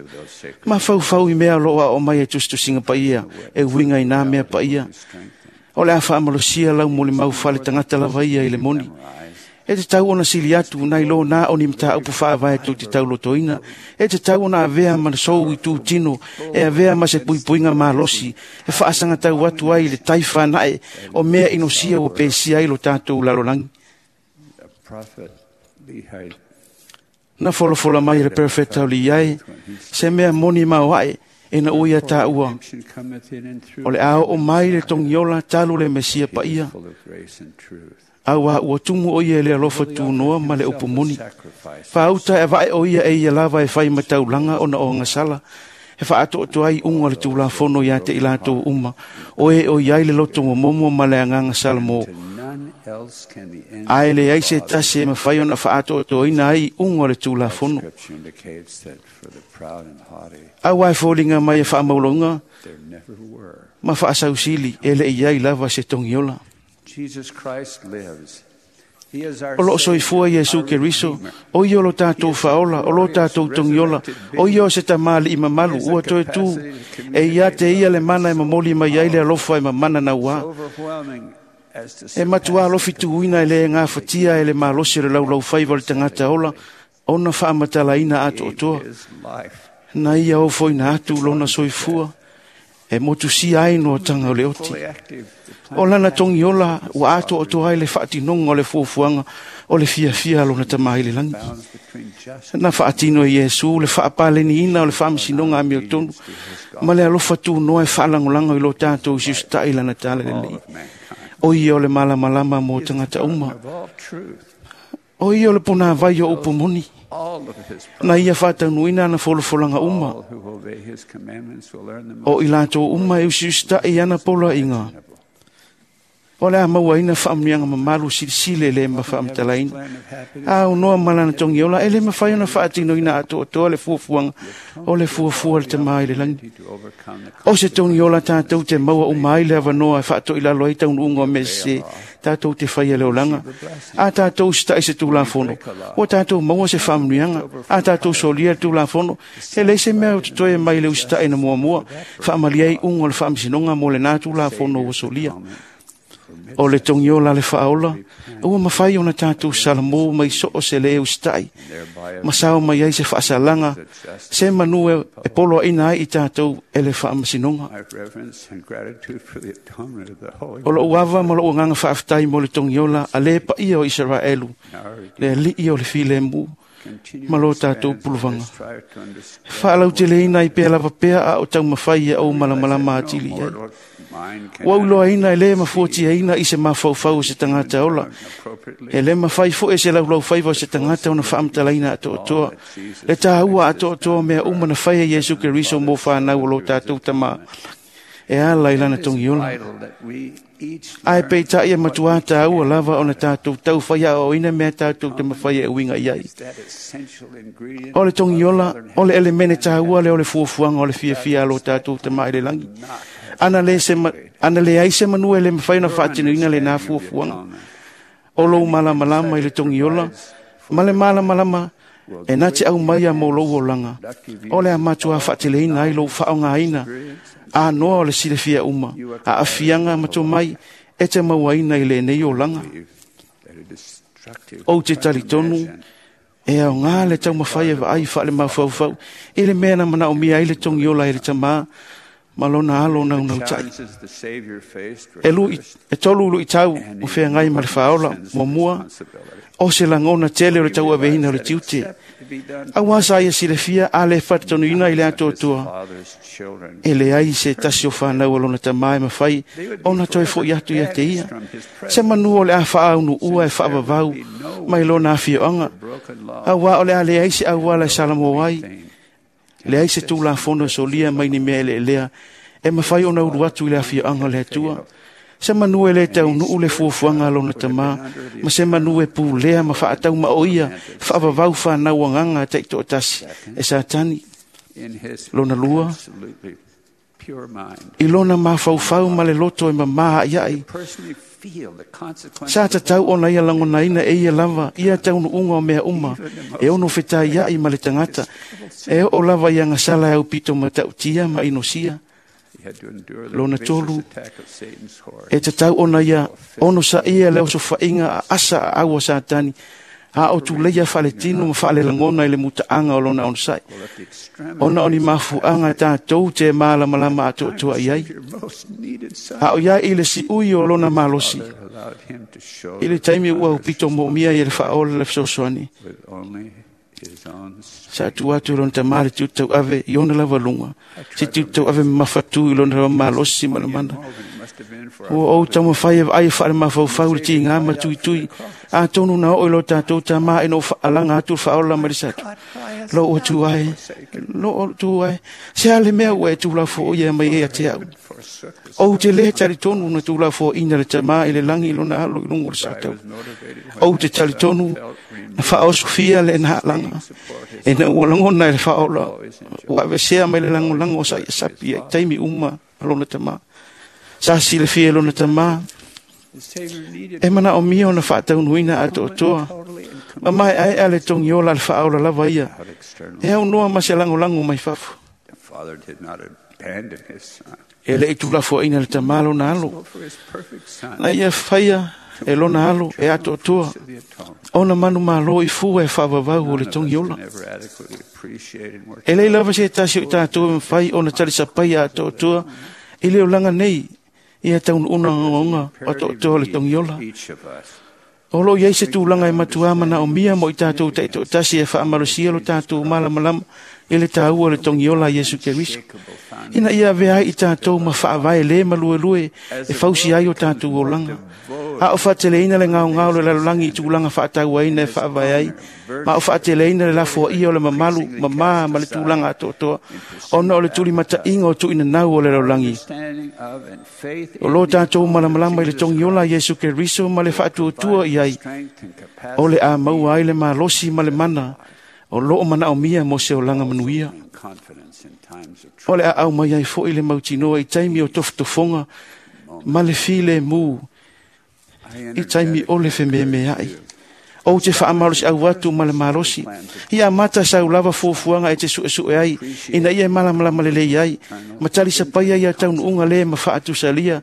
Ma faufau i mea loa o mai e tusitusiga paia, e uiga i nā mea paia. O le a faamalosia lau mo le maufale tagata lava ia i le moni. E te tau ona sili atu nai lo nā o ni mtāupu whaavae tō te taulotoina. E te tau ona avea ma sou i tūtino, e avea ma se puipuinga malosi, e whaasanga tau atu ai le taiwha nae o mea inosia o pesia ai lo tātou lalolangi. Na folofola mai le perfecta o li ai, se mea moni mau ae, e na uia tā ua. O le ao o mai le togiola talu le mesia paia. Aua ua tumu o ia le alofa tūnoa ma le upu moni. Whaauta e vae o ia e ia lava e whai mataulanga ona o ngasala. E whaatoto ai unga le tūlafono ia te ilatou uma. O e o iai le loto momomo ma le anganga sala mō. Ae le ai se tasi e mawhai ona whaatoto ina ai unga le tūlafono. Aua e fōlinga mai e whaamaulonga, ma whaasausili e le iai lava se togiola. O loo soifua Iesu Keriso, o ia o lo tātou whaola, o lo tātou togiola, o ia o se tamali i mamalu, ua toe tū, e ia te ia le mana e mamoli mai ai le alofa e mamana na ua. E matua alofi tuuina e le ngā whatia e le malosi o le laulau whaiva o le tangata ola, ona whaamatalaina ato otoa. Na ia o foina atu lona soifua, e motusia ai no tanga o le oti. O lana togiola ua ato otoa ai le whaatinonga o le fuafuaga o le fiafia lona tama i le langi. Na whaatino e Iesu le whaapaleniina o le whaamisinoga a miotonu, ma le alofa tūnoa e whaalangolanga i lo tātou si usita'i lana tala lelei. O ia o le malamalama mō tangata uma. O ia o le pona vai o upu moni. Na ia whātaunuina ana folofolanga uma. O i lātou uma e usi usita'i ana pola inga. O le a mauaina whaamunianga mamalu silisile le ma whaamatalaina. A unoa malana togiola e le mawhai ona whaatinoina atoatoa le fuafuaga o le fuafua le tama i le langi. O se togiola tātou te maua uma ai le avanoa e whaatoilalo ai taunuunga o mese tātou te whaia le olanga. A tātou sita'i se tūlafono. O tātou maua se whaamunuianga. A tātou solia le tūlafono. E lei se mea o te toe mai le usita'i na muamua. Whaamalia ai unga o le whaamisinonga mo le nā tūlafono o solia. O le togiola le whaola, ua mawhai ona tātou salamō mai so o se le usita'i. Ma sao mai ai se whaasalanga, se manu e polo ina ai i tātou e le whaamasinonga. O lo uava ma lo uanganga whaaftai mo le togiola a le paia o Israelu, le alii o le filemu, ma lo tātou puluvanga. Whaalauteleina i pea lava pea a o taumawhai e au malamalama atili ai. Ua uloaina e le mafuatiaina i se mafaufau o se tagata ola. E le mawhai fo e se laulau whaiva o se tagata ona whaamatalaina atoatoa. Le tāua atoatoa mea uma na whai e Iesu Keriso mō whānau o lo tātou tama. E ala i lana togiola. Ae peitai e matua tāua lava ona tātou tau whaia o ina mea tātou te mawhai e uinga iai. O le togiola, o le elemene tāua le o le fuafuaga o le fiafia lo tātou te mai le langi. Ana le ai se manu e le mawhai na whaatinuina le nā fuafuaga. O lou malamalama i le togiola, ma le malamalama e nā te au mai a mō lou olanga. O le a matua whaateleina ai lou whaongaina, a noa o le silafia uma, a afianga mato mai e te mauaina i lenei olaga. Ou te talitonu e aoga le taumafai e vaai faale-mafaufau i le mea na manaomia ai le togiola e le Tamā ma lona alo naunautai. E tolu luitau o feagai ma le faaola. Muamua, o se lagona tele o le tauaveina o le tiute. Auā sa ia silafia a le faatatonuina i le atoatoa, e leai se tasi o fanau o lona tamā e mafai ona toe fo'i atu ia te ia. Se manu o le a faaunuua e faavavau mai lona afioaga, auā o le a leai se auala e salamo ai, leai se tulafono e solia mai ni mea eleelea e mafai ona ulu atu i le afioaga o le Atua. Se manu e le taunuu le fuafuaga a lona tamā, ma se manu e pulea ma faataumao ia faavavau fanau agaga a taitoatasi e Satani. Lona lua, i lona mafaufau ma le loto e mamā a'ia'i, sa tatau ona ia lagonaina e ia lava ia taunuuga o mea uma e ono fetaia'i ma le tagata, e oo lava i agasala e aupito matautia ma inosia. Lona tolu, e tatau ona ia ono sa'ia le osofa'iga a asa aau a Satani, a o tuleia faaletino ma faalelagona i le mutaaga o lona onosa'i, ona o ni mafu'aga tatou te malamalama atoatoa i ai. A o ia i le si'ui o lona malosi, i le taimi ua aupito mo'omia ia le faaola le fesoasoani, sa tuu atu i lona tamā le tiute tauave i ona lava luga, se tiute tauave mamafatū i lona lava malosi ma le mana. Ua ou taumafai e vaai e faalemafaufau le tigā ma tuitui, atonu na oo i lo tatou tamā ina ua faalaga atu le faaola mai le satu. Lou atu ai, lou atu ai, se a le mea ua e tulafo'oia mai ai ia te a'u? Ou te lē talitonu na tulafo'oina le tamā i le lagi i lona alo i luga o le satau. Ou te talitonu na faaosofia le naalaga ina ua lagona e le faaola ua avesea mai le lagolago o sa ia sapi ai taimi uma a lona tamā. Sa silafia e lona tamā e manaomia ona faataunuina atoatoa ma maeaea le togiola a le faaola lava ia e aunoa ma se lagolago mai fafo. E le'i tulafoaina le tamā lona alo, na ia faia e lona alo e atoatoa ona manumālō i fua e faavavau o le togiola. E lei lava se tasi o i tatou e mafai ona talisapaia atoatoa i le olaga nei ia taunuuga ogaoga o atoatoa o le togiola. O loo i ai se tulaga e matuā manaomia mo i tatou taitoatasi e faamalosia lo tatou malamalama i le tāua o le togiola a Iesu Keriso, ina ia avea ai i tatou ma faavae lē maluelue e fausi ai o tatou olaga. A o faateleina le gaogao o le lalolagi i tulaga faatauaina e faavae ai, ma o faateleina le lafoaia o le mamalu mamā ma le tulaga atoatoa, ona o le tulimata'iga o tu'uinanau o le lalolagi. O lo tatou malamalama i le togiola a Iesu Keriso ma le faatuatua i ai, o le a maua ai le malosi ma le mana o loo manaomia mo se olaga manuia. O le a au mai ai fo'i le mautinoa i taimi o tofotofoga ma le filemu, i taimi o le fememea'i. Ou te faamalosi'au atu ma le malosi, ia amata sau lava fuafuaga e te su'esu'e ai, ina ia e malamalama lelei ai, ma talisapaia ia taunuuga lē ma faatusalia,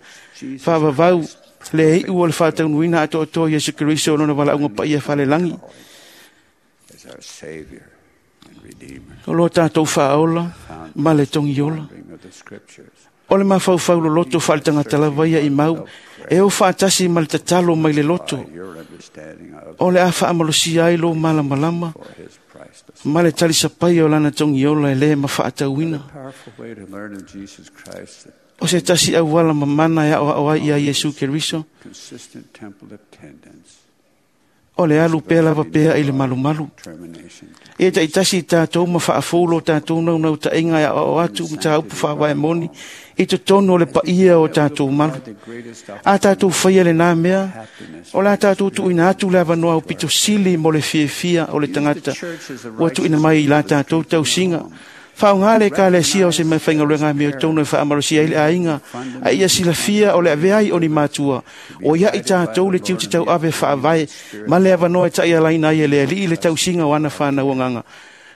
faavavau le i'u o le faataunuina atoatoa Iesu Keriso o lona valaauga paia falelagi. O lo tatou faaola ma le togiola. O le mafaufau loloto faaletagata lava ia i mau, e o faatasi ma le tatalo mai le loto. O le a faamalosia ai lou malamalama ma le talisapaia o lana togiola e lē mafaatauina. O se tasi auala mamana e aoao ai ia Iesu Keriso, o le alu pea lava pea i le malumalu. Ia taitasi i tatou ma faafou lo tatou naunautaiga e aoao atu mataupu faavae moni i totonu o le paia o tatou malu. A tatou faia lenā mea, o le a tatou tuuina atu le avanoa aupito sili mo le fiafia o le tagata ua tuuina mai i la tatou tausiga. Faaaogā le ekalesia o se mea faigaluega amiotonu e faamalosia ai le aiga, a ia silafia o le avea ai o ni matua, o ia'i tatou le tiute tauave faavae ma le avanoa e ta'ialaina ai e le Ali'i le tausiga o ana fanau agaga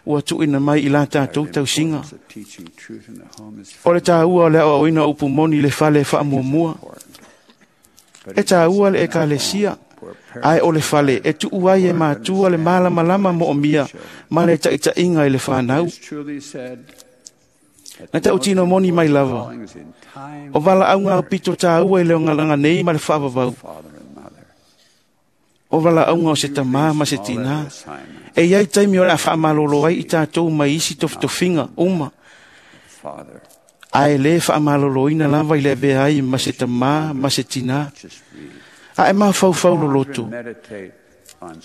ua tuuina mai i la tatou tausiga. O le tāua o le aoaoina o upu moni i le fale e faamuamua. E tāua le ekalesia, ae o le fale e tuu ai e mātua le malamalama moomia ma le taʻitaʻiga i le fanau. Na taʻutino moni mai lava, o valaauga aupito tāua i le ogalaga nei ma le faavavau. O valaauga o se tamā ma se tinā. E iai taimi o le a faamalolo ai i tatou mai isi tofitofiga uma. Ae lē faamaloloina lava i le avea ai ma se tamā ma se tinā. Ae mafaufau loloto.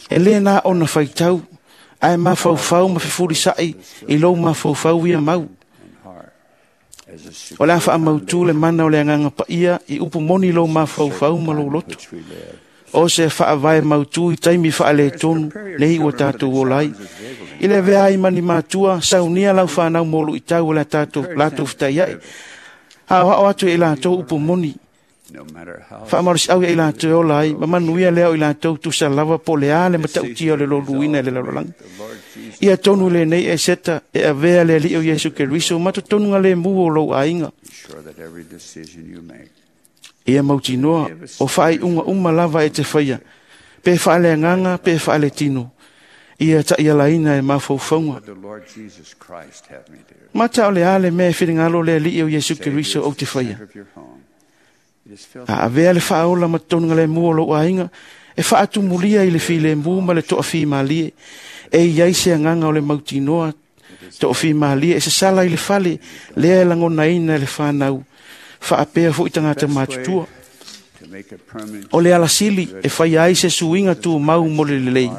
E lē na ona faitau, ae mafaufau ma fefulisaʻi i lou mafaufau ia mau. O le a faamautū le mana o le agaga paia i upu moni lou mafaufau ma lou loto. O se faavae mautū i taimi faaletonu nei ua tatou ola ai. I le avea ai ma ni matua, saunia lau fanau mo luʻitau o le tatou latou fetaiaʻi. Aoao atu e i latou upu moni. Faamalosiau ia i latou e ola ai, ma manuia lea o i latou tusa lava po o le a le matautia o le loluina i le lalolagi. Ia tonu lenei e seta e avea le Alii o Iesu Keriso ma totonuga lemu o lou aiga. Ia mautinoa o faaiuga uma lava e te faia, pe faaleagaga pe faaletino, ia taʻialaina e mafaufauga. Mata o le a le mea e finagalo le Alii o Iesu Keriso ou te faia. A avea le faaola ma totonuga lemu o lou aiga, e faatumulia i le filemu ma le toafimalie, e iai se agaga o le mautinoa toafimalie e sasala i le fale, lea e lagonaina e le fanau, faapea foʻi tagata matutua. O le alasili e faia ai se suiga tumau mo le lelei.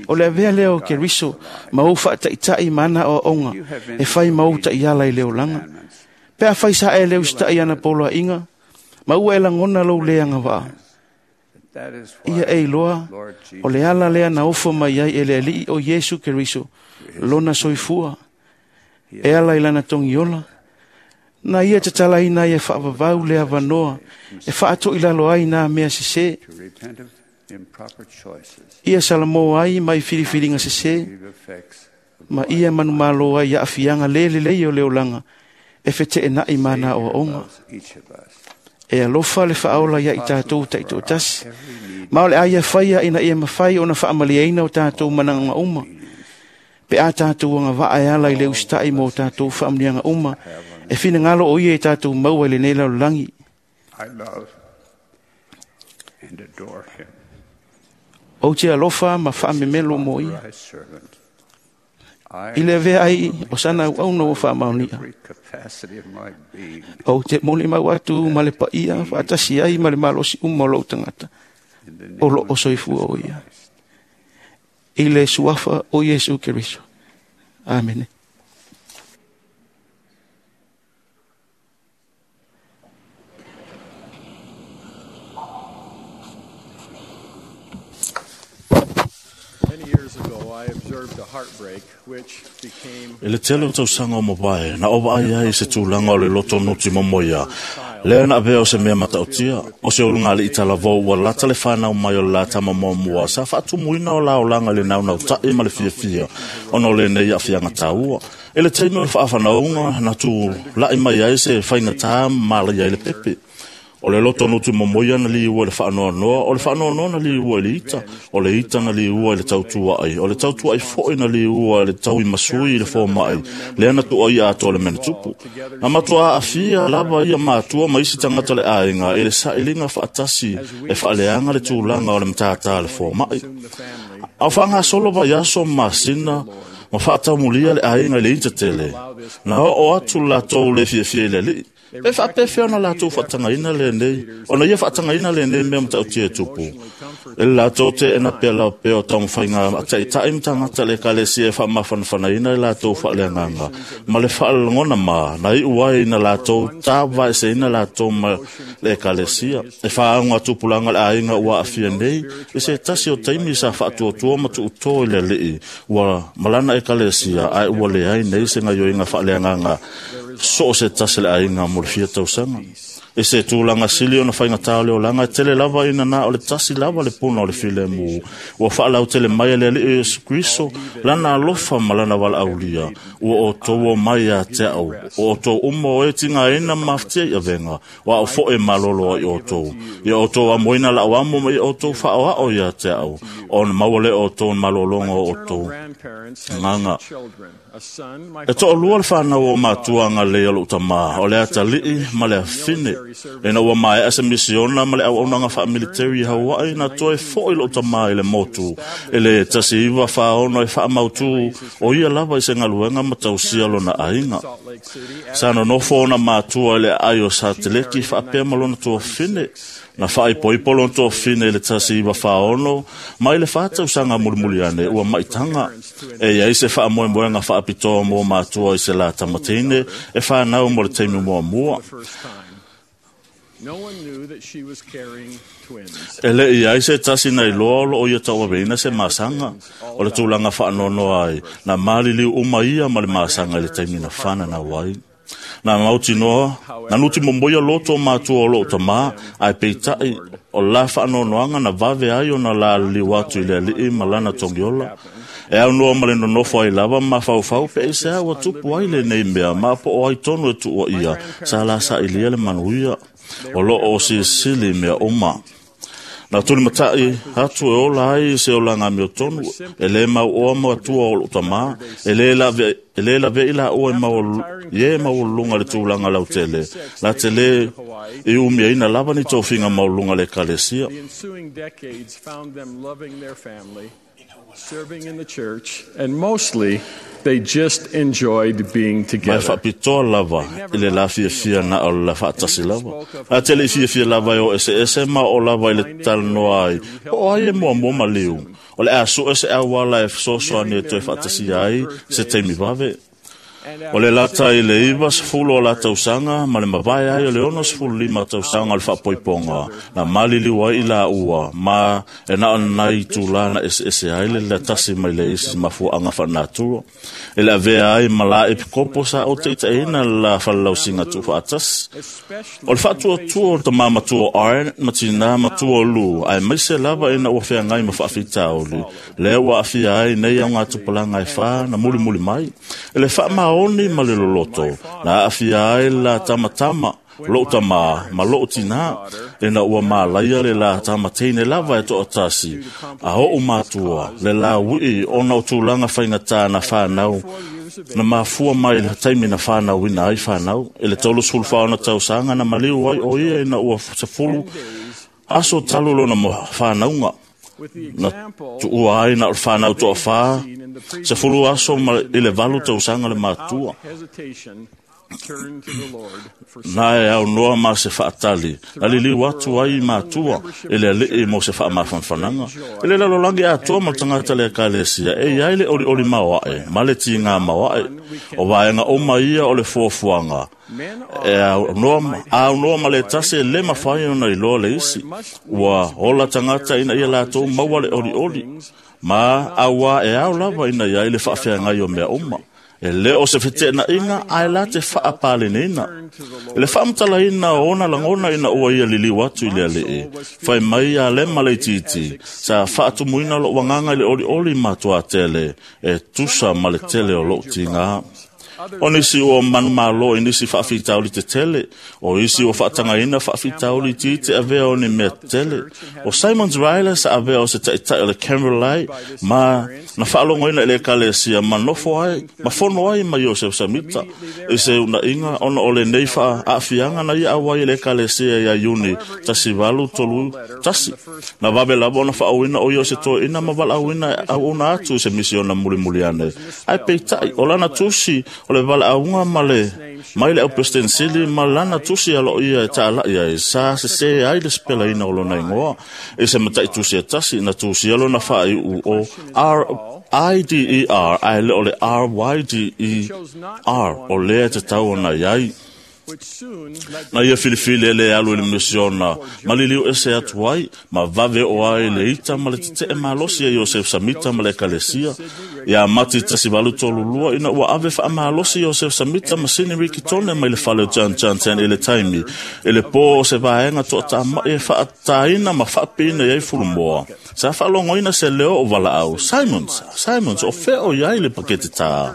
O le avea lea o Keriso ma ou faataʻitaʻi ma ana aoaoga e fai ma ou taʻiala i le olaga. Pe a fai sa e le usitaʻi ana poloaiga, ma ua e lagona lou le agavaa. Ia e iloa, o le ala lea na ofo mai ai e le Alii o Iesu Keriso, lona soifua, e ala i lana togiola, na ia tatalaina ai e faavavau le avanoa, e faatoʻilalo ai nā mea sesē. Ia salamo ai mai filifiliga sesē, ma ia manumalo ai aafiaga lē lelei o le olaga, e feteenaʻi ma ana aoaoga. E alofa le faaola ia i tatou taʻitoatasi, ma o le a ia faia ina ia mafai ona faamaliaina o tatou manaoga uma. Pe a tatou agavaa e ala i le usitaʻi mo tatou faamuniaga uma, e finagalo o ia i tatou maua i lenei lalolagi. Ou te alofa ma faamemelo mo ia. I le avea ai o sana auauna ua faamaonia. Ou te molimau atu ma le paia faatasi ai ma le malosi uma o lou tagata, o loo soifua o ia. I le suafa o Iesu Keriso. Amene. E le tele o tausaga o mavae, na ova ai ai se tulaga o le loto nuti momoia. Lea na avea o se mea matautia, o se ulugalii talavou ua lata le fanau mai o le la tamamuamua, sa faatumuina o laolaga i le naunautai ma le fiafia, ona o lenei aafiaga taua. E le taimi o le faafanauga, na tula'i mai ai se faigatā ma malaia ai le pepe. O le loto nuti momoia na liua i le faanoanoa, o le faanoanoa na liua i le ita, o le ita na liua i le tautuaʻi, o le tautuaʻi foʻi na liua i le tauimasui i le fomaʻi, lea na tuʻaia atoa le mea na tupu. Na matuā aafia lava ia matua ma isi tagata le aiga i le saʻiliga faatasi e faaleaga le tulaga o le matātā le fomaʻi. A o faagasolo vaiaso ma masina, ma faataumulia le aiga i le ita tele. Na oo atu latou le fiafia i le alii. Pe faapefea ona latou faatagaina lenei, ona ia faatagaina lenei mea matautia e tupu. E le latou teena pea lao pea o taumafaiga taʻitaʻi ma tagata le ekalesia e faamafanafanaina i latou faaleagaga, ma le faalagona ma, na iu ai na latou tavaeseina latou ma le ekalesia. E faauga tupulaga le aiga ua aafia nei, i se tasi o taimi sa faatuatua ma tuutō i le alii, ua malana ekalesia, ae ua leai nei se gaioiga faaleagaga so o se tasi le aiga mo le fia tausaga. E se tūlanga sili ona whaingatā o le olanga, e tele lava ina nā o le tasi lava le puna o le filemu. Ua whaalau tele mai le alii o Yesu Kriso, lana alofa ma lana wala aulia. Ua o tō mai a te au, o tō umo o e tinga ina maftia i avenga, wa o foe malolo i o tō. Ia o tō amoina la o amo mai o tō whaoa o ia te au, on mauale o tō malolongo o tō. Nganga. E tō lua le whanau o mātua ngā lea lo utama, o le atalii ma le afine. E na ua mai asa misiona ma le au aunanga wha military Hawaii na toe foi lo utama i le motu. E le tasi iwa whaono e wha mautu o ia lava i se ngaluenga matausia lona ainga. Sa nonofo ona mātua i le ai o sa teleki whaapea malona tua fine. Na whai poipo lona tua fine i le tasi iwa whaono, mai le whātau sanga mulimuli ane ua maitanga. E ia ise wha moemoenga whaapitoa mō mātua i se la tamatine, e whanau mo le teimi mua mua. E le i ai se tasi nei loa o ia taua veina se masanga, o le tūlanga whaanono ai, na maliliu uma ia ma le masanga i le teimi na whana na wai. Na mauti noa, na nuti momoia loto mātua o loo tamā, ai peitai o la whaanonoanga na vave ai o na la liu atu i le alii ma lana tongiola. E au noa ma le nonofo ai lava ma whauwhau pe e se aua tupu ai le nei mea, ma po o ai tonu e tua ia, sa la sa ilia le manuia, o loo o sisili mea oma. Na tuli matai atu e ola ai se ola ngā meo tonu, e le mau oa ma atua o loo tamā, e le la ve ila oa e mau lunga le tūlanga lau tele, la tele i umia ina lava ni tōwhinga mau lunga le kalesia. Serving in the church, and mostly they just enjoyed being together. Mai whaapitoa lava i le la fiafia na o la whaatasi lava. A tele i fiafia lava i o ese ese ma o lava i le talanoa ai. O ai e mua mua maliu. O le asu ese awala e sosoa ni e toe whaatasi ai se teimi vave. O le lata i le iwa sefulu o la tausanga, ma le mavae ai o le 65 tausanga o le whaapoiponga, na maliliu ai i la ua, ma e na nai tūlana ese ese ai le la tasi mai le isi mafuanga whanatura. E le avea ai ma la epikopo sa o te itaina la whalalausinga tu whaatasi. O le whaatua tua o te mamatua Iron, matina matua lu, ai maise lava ina ua whea ngai ma whaafitaoli. Le ua awhia ai nei au ngā tupalanga e wha na muli muli mai. E le wha oni ma le loloto, na awhia ai la tamatama, loo tamā, ma loo tina, e na ua mālaia le la tamateine lava e to'atasi, a oo mātua, le la wii o na o tūlanga whaingatā na whānau, na mafua mai le taimi na whānau ina ai whānau, e le 34 tausanga na maliu ai o ia ina ua sefulu, aso talulo na mo whānaunga. Na tuua ai na o whānau toa whā, se fulu aso ma i le valu tausanga le mātua. Na e au noa ma se whaatali, na liliu atu ai mātua, e le alii mo se whaamafanfananga. E le lalolangi atoa ma tangata le kalesia, e iai le oli oli maoae, ma le tīngā maoae, o vaenga oma ia o le fuafuaga. E au noa ma le tasi le mawhai ona i loa le isi, ua ola tangata ina ia lātou maua le oli oli, ma aua e au lava ina ia i le whaafea ngai o mea uma. E le o se whitena inga, ai la te whaapaleneina. E le whaamtala ina o ona langona ina ua ia liliu atu i le alii. Whai mai a le malei titi, sa whaatumuina lo wanganga i le oli oli matua tele, e tusa ma le tele o lo tinga. O nisi o manu malo i nisi whaafitauli te tele, o isi o whaatangaina whaafitauli ti te avea o ni mea tele. O Simon Riley sa avea o se taitai o le Cameron Lai, ma na whaalongoina i le kalesia ma nofo ai, ma fono ai ma Joseph Samita. I se una inga ona o le nei wha aafianga na ia awai i le kalesia ia Iuni, tasi valu tolu tasi. Na wawe lava ona whaawina o ia se toi ina ma wala awina au ona atu i se misiona muli muli ane. Ai peitai, o lana tusi o le wala aunga ma le mai le au prestensili ma lana tusi alo ia e taala ia e sa se se ai le spela ina o lona ingoa e se matai tusi e tasi na tusi alo na whaai u o R I D E R ai le o le R Y D E R o lea te tau ona iai. Na ia filifili e le alu i le misiona, ma liliu ese atu ai, ma vave o ai le ita ma le tete e malosi e Joseph Samita ma le ekalesia. Ia Mati 1832 ina ua ave faamalosi Iosef Samita ma Sini Rikitone mai le fale o John Johnson i le taimi i le pō o se vaega toatama'i e faataina ma faapiina i ai fulumoa. Sa faalogoina se leo o valaau, Simons, Simons, o fea o i ai le pakete tā.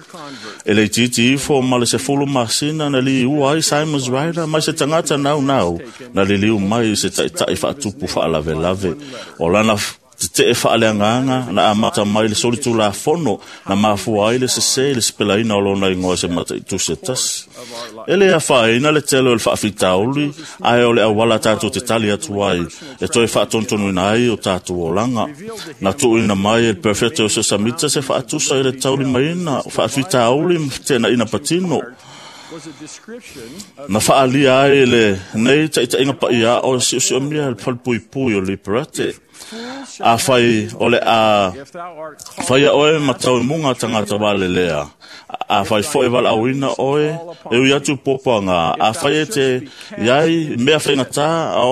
E le itiiti ifo ma le 10 masina na liua ai Simons Ryder mai se tagata naunau na liliu mai i se taʻitaʻi faatupu faalavelave. O lana teteʻe faaleagaga na amata mai le solitulafono na mafua ai le sesē i le sepelaina o lona igoa se mataitusi e tasi. E lē afaina le tele o le faafitauli, ae o le auala tatou te tali atu ai e toe faatonutonuina ai o tatou olaga. Na tuuina mai e le Perfeta o Sesamita se faatusa i le taulimaina o faafitauli ma fetenaina patino. Na faalia ai le nei taʻitaʻiga paia o e siosiomia le falepuipui o Liberate. Afai o le a faia oe ma tauimuga tagata valelea, afai foi valaauina oe e ui atu puapuaga, afai e te iai mea faigatā a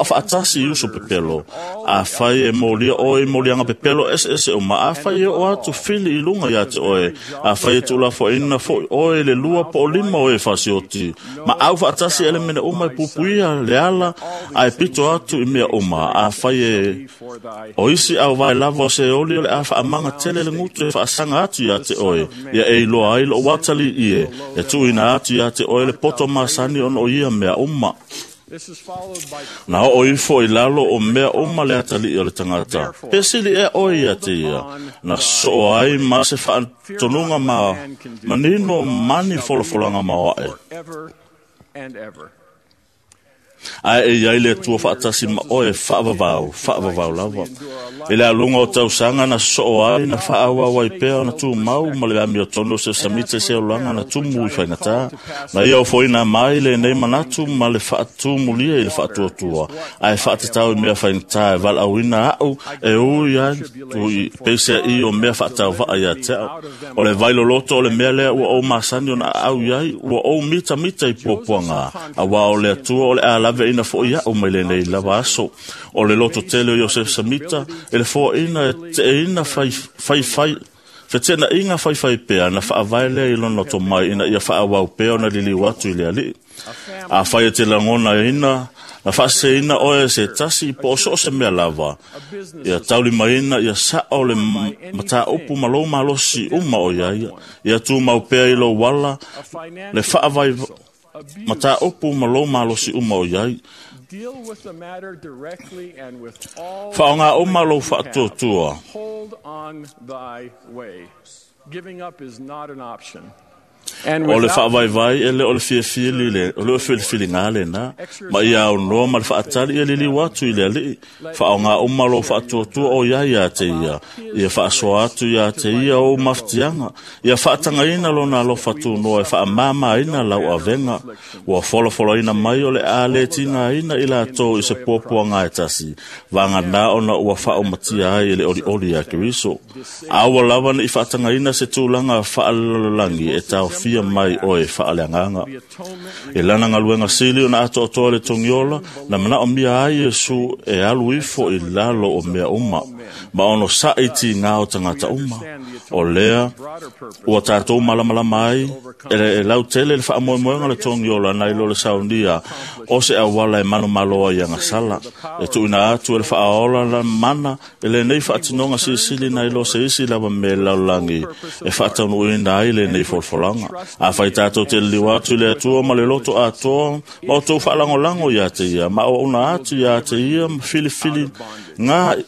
o faatasi i uso pepelo, afai e molia oe i moliaga pepelo eseese uma, afai e oo atu fili i luga iā te oe, afai e tuulafoaina foi oe i le 2 po o 5 o e fasioti, ma au faatasi elemene uma e puipuia le ala ae pito atu i mea uma, afai e o isi au vai lava o se oli o le a faamaga tele le gutu e faasaga atu iā te oe, ia e iloa ai lou atalii e, e tuuina atu iā te oe le poto masani ona o ia mea uma. Na oo ifo i lalo o mea uma le atalii o le tagata. Pesili ea oe ia te ia, na soo ai ma se faatonuga ma manino mani folafolaga maoaʻe. Ae e iai le Atua faatasi ma oe faavavau, faavavau lava. I le aluga o tausaga na soo ai na faaauau ai pea ona tumau ma le amiotonu o se Samita i se olaga na tumu i faigatā. Na ia ofoina mai lenei manatu ma le faatumulia i le faatuatua, ae faatatau i mea faigatā e valaauina aʻu e ui ai tui peiseai o mea faatauvaa ia te au. O le vailoloto o le mea lea ua ou masani ona aau i ai, ua ou mitamita i puapuaga, auā o le Atua o le a laveaina foʻi aʻu mai lenei lava aso. O le loto tele o Iosef Samita e le foaina e teeina faifai fetenaiga faifai pea na faavae lea i lona tomai ina ia faaauau pea ona liliu atu i le alii. Afai e te lagonaina na faaseseina oe se tasi po o so o se mea lava, ia taulimaina ia saʻo le mataupu ma lou malosi uma o ia ia, ia tumau pea i lou ala le faavai mataupu ma lou malosi uma o iai. Faaaogā uma lou faatuatua. O le faavaivai e le o le fiafia o le filifiliga lenā, ma ia aunoa ma le faatali ia liliu atu i le alii. Faaaogā uma lou faatuatua o iai ia te ia, ia faasoa atu ia te ia ou mafatiaga, ia faatagaina lona alofa tunoa e faamamaina lau avega. Ua folafolaina mai o le a lē tigaina i latou i se puapuaga e tasi, vaganā ona ua faaumatia ai e le olioli ia Keriso. Aua lava neʻi faatagaina se tulaga faalelalolagi e taofia mai oe faaleagaga. E lana galuega sili ona atoatoa le togiola na manaomia ai Iesu e alu ifo i lalo o mea uma, ma ono saʻi tigā o tagata uma. O lea ua tatou malamalama ai e lautele le faamoemoega le togiola nai lo le saunia o se auala e manumalo ai agasala. E tuuina atu e le faaola la mana e lenei faatinoga silisili nai lo se isi lava me lalolagi e faataunuuina ai lenei folafolaga. Afai tatou te liliu atu i le Atua ma le loto atoa ma outou faalagolago iā te ia, ma auauna atu iā te ia ma filifili gā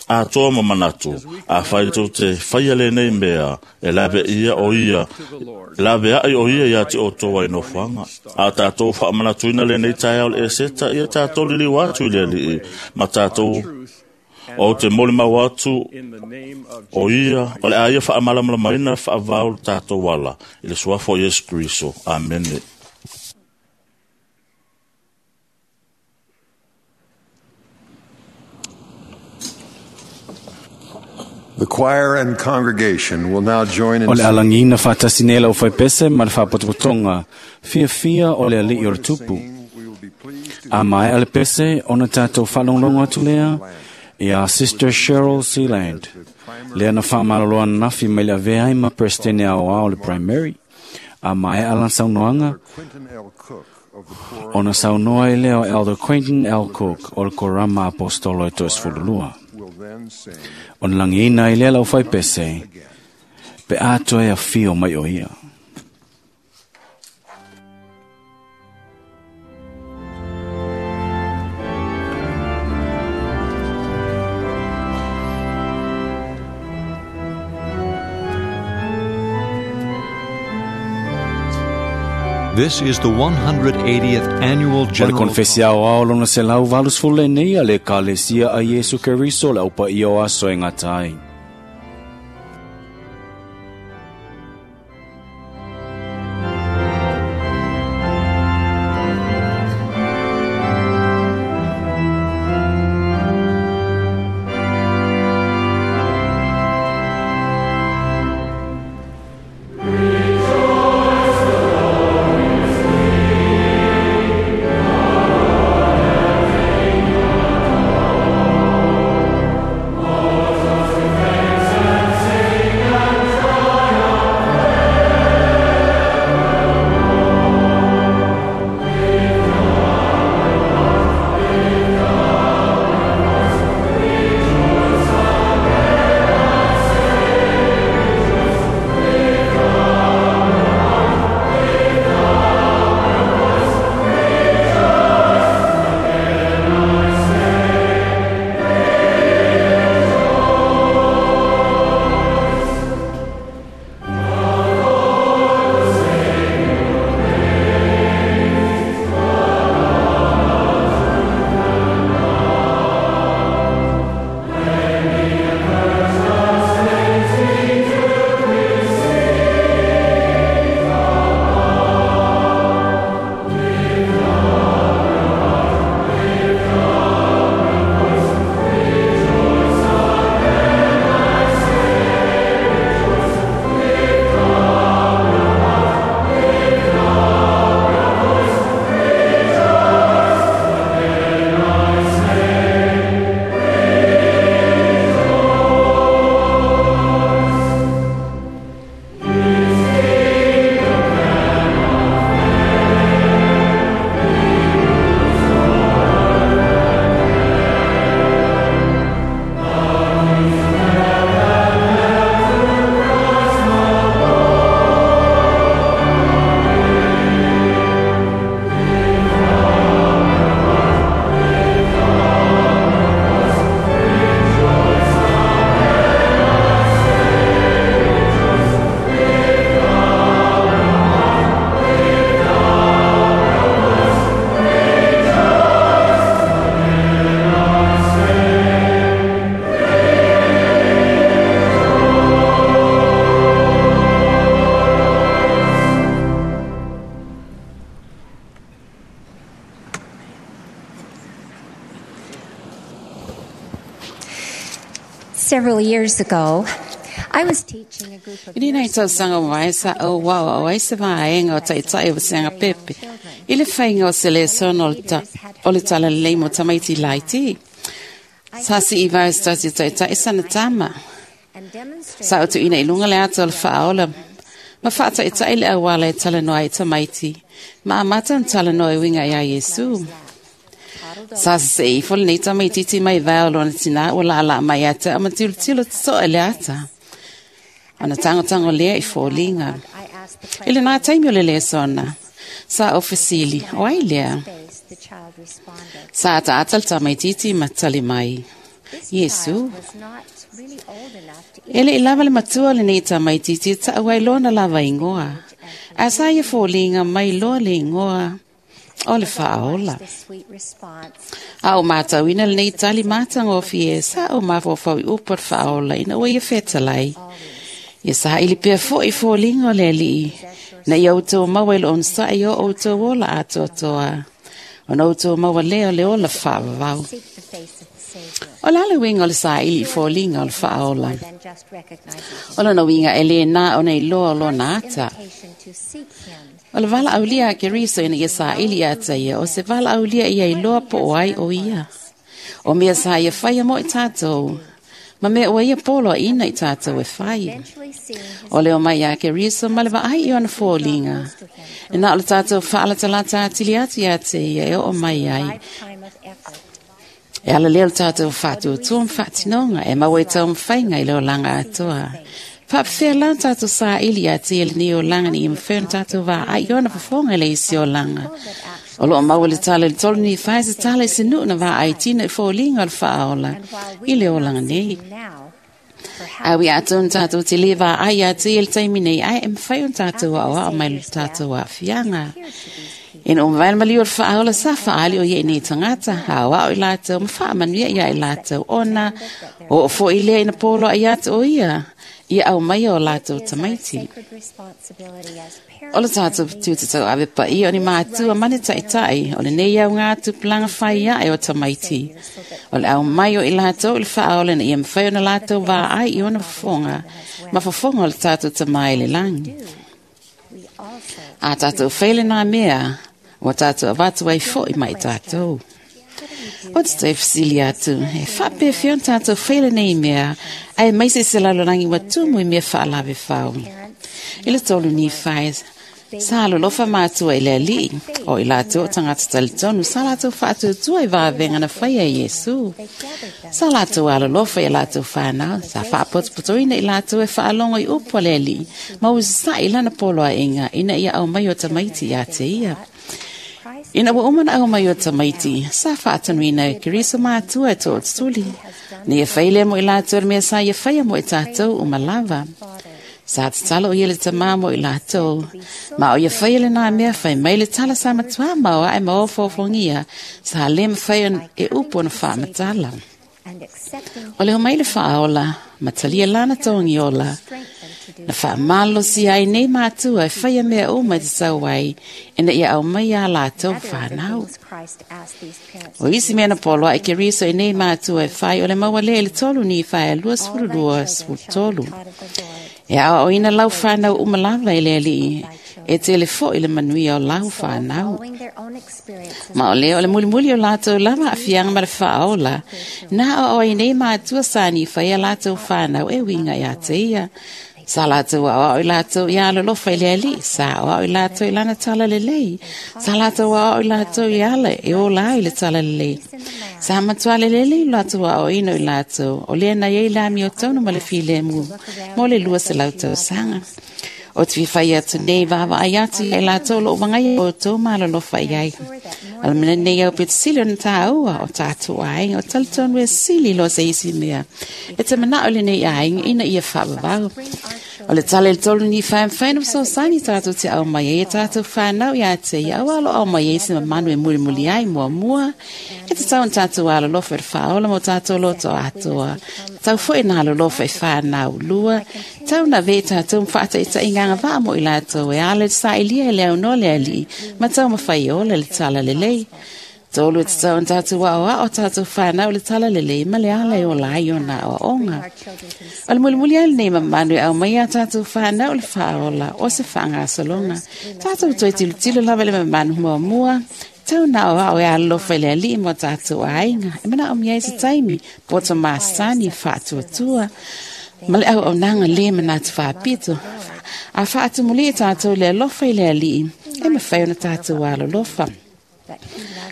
atoa ma manatu. Afai tou te faia lenei mea, e lave ia o ia, lave ai o ia ia te outou ai nofoaga. A tatou faamanatuina lenei taeao le Eseta, ia tatou liliu atu i le alii, ma tatou o te molimau atu o ia, o le a ia faamalamalamaina faavao le tatou ala i le suafa o Iesu Keriso. Amene. The choir and congregation will now join in O le alagina faatasi nei lau faipese ma le faapotopotoga fiafia o le alii o le tupu. A maea le pese ona tatou faalogologo atu lea ia Sister Cheryl Sealand. Lea na faamalolo ananafi mai le avea ai ma Peresetene Aoao o le Primary. A maea lana saunoaga, ona saunoa ai lea o Elder Quentin L. Cook o le Korama Aposetolo e 12. Ona lagiina ai lea laufaipese, pe a toe afio mai o ia. This is the 180th annual O le General konfesi aoao lona 180 lenei a le Ekalesia a Iesu Keriso le aupaia o aso e gata ai. Several years ago, I was teaching a group of I lenei tausaga mai sa o wao o ai se vaega o ta'ita'i o vasega pepe i le faiga o se lesona o le talalelei mo tamaiti laiti. Sa si'i vae se tasi o ta'ita'i sana tama. Sa o tu'uina i luga le ata o le fa'aola ma fa'ata'ita'i le auala e talanoa ai tamaiti ma amata ona talanoa e uiga iā Iesu. Sa sese'i ifo lenei tamaititi mai vae o lona tinā ua la'ala'a mai ia te a'u ma tilotilo toto'a i le ata. Ona tagotago lea i foliga. I lenā taimi o le lesona, sa ou fesili, o ai lea? Sa ata'ata le tamaititi ma tali mai, Iesu. E le'i lava le matua o lenei tamaititi e ta'u ai lona lava igoa, ae sa ia foliga mai loa le igoa o le fa'aola. A o matauina lenei tali matagofie, sa ou mafaufau i upu a le fa'aola ina ua ia fetalai. Ia sa'ili pea fo'i foliga o le Ali'i, na ia outou maua i le onosa'i o outou ola atoatoa, ona outou maua lea o le ola fa'avavau. O le a le uiga o le sa'ili i foliga o le fa'aola? O lona uiga e lē na ona iloa o lona ata. O le valaaulia a Keriso ina ia sa'ili ia te ia, o se valaaulia ia iloa po o ai o ia. O mea sa ia faia mo i tatou, Ma mea ua ia polo a ina i tātou e whai. O leo mai a ke riso ma le vaai i ona fōlinga. E nā o le tātou whaalatalata atili atu ia te ia e o mai ai. E ala leo tātou whātuatua mwhaatinonga e maua i tau mwhainga i leo langa atoa. Whaapewhea lan tātou sā ili a te ele ni o langa ni i mwheo tātou wā ai ona whafonga le isi o langa. O loo maua le tala le tolu ni whai se tala i se nuu na wā ai tina i fōlinga o le whaola i le o langa nei. A wi atu un tātou te le wā ai a te ele taimi nei ai e mwhai un tātou a oa o mai le tātou a whianga. Ina o mawai mali o le whaola sa whaali o ye nei tangata, ha o i lātou, ma whaamanuia ia i lātou ona, o o fo i lea ina pōlo ai atu o ia, ia au mai o lātou tamaiti. O le tātou tū te tau ave pa ia o ni mātua mane ta'itai, o le nei au ngā tupulanga whai ia e o tamaiti. O le au mai o i lātou i le whaola na ia mwhai o na lātou wā ai i ona whafonga, ma whafonga o le tātou tamai le langi. A tātou whaile nā mea, o tātou avatu ai fo i mai tātou. O te te whasili atu, e whape whion tātou whaile nei mea, ai mai se se lalo rangi wa tumu i mea whaalawe whau. I le tolu ni whai, sa alolofa mātua i le alii, o i lātou o tangata talitonu, sa lātou whaatuatua i vāvenga na whai a Iesu. Sa lātou alolofa i lātou whānau, sa whaapotopotoina i lātou e whaalongo i upu a le alii, ma ua sa i lana polo a inga, ina ia au mai o tamaiti ia te ia. Ina ua uma na au mai o tamaiti, sa whaatanuina e Keriso mātua e tō tuli. Ni e whaile mo i lātou mea sa ia whaia mo i tātou o malava. Sa te tala o ia le tamā mo i lātou. Ma o ia whaia le nā mea whai mai le tala sa matua maua e maua fōfongia, sa le mwhai e upo na whaamatala. O le homai le whaaola, matalia lana tongi ola. Na whaamalo si ai nei mātua e whaia mea o mai te tau ai, e na ia au mai a lātou whānau. O isi mea na poloa e ke riso e nei mātua e whai o le maua le le tolu ni whai a 22 23. E au o ina lau whānau umalava i le alii, e te le fo i le manuia o lau whānau. Ma o leo o le mulimuli o lātou lava a fianga ma le whaola, nā o o i nei mātua sāni whai a lātou whānau e winga i a te ia. Sa lātou au i lātou i ala lofa i le ali, sa au i lātou i lana tala le lei, sa lātou au i lātou i ala e o la i le tala le lei. Sa matua le lele i lātou au ino i lātou, o lea na iei la mi o taunu ma le file mu, mo le lua se lautou sanga. O te whiwhai atu nei wawa ai atu i lātou lo wangai o tō māla lofa i ai. Ala mena nei au pete sili o na tāua o tātou ai, o talitonu e sili lo se isi mea. E te mana o le nei ai, ina ia whaawawau. O le tale le tolu ni whae whae no so sani tātou te au mai e tātou whānau ia te ia au alo au mai e se mamanu e muri muri ai mua mua. E te tau tātou alo lofa e whaola mo tātou loto atoa. Tau fo e nā alo lofa e whānau lua. Tau na ve tātou mwhaata i ta inganga vā mo i lātou e ale sa ilia e leo no le ali. Ma tau mawhai ola le tala le lei. Tolu e te tau tātou wao o tātou whānau le tala le lei ma le ala e o lai o nā o onga. O le mulimuli ai nei mamanu e au mai a tātou whānau le whaola o se whangasolonga. Tātou toi tilo tilo lava le mamanu mua mua. Tau nā o ao e alofa i le alii mo tātou ainga. E mana o mia i se taimi, poto māsani whaatuatua. Ma le au au nanga le manatu whaapito. A whaatumuli e tātou le alofa i le alii. E mawhai ona tātou alolofa.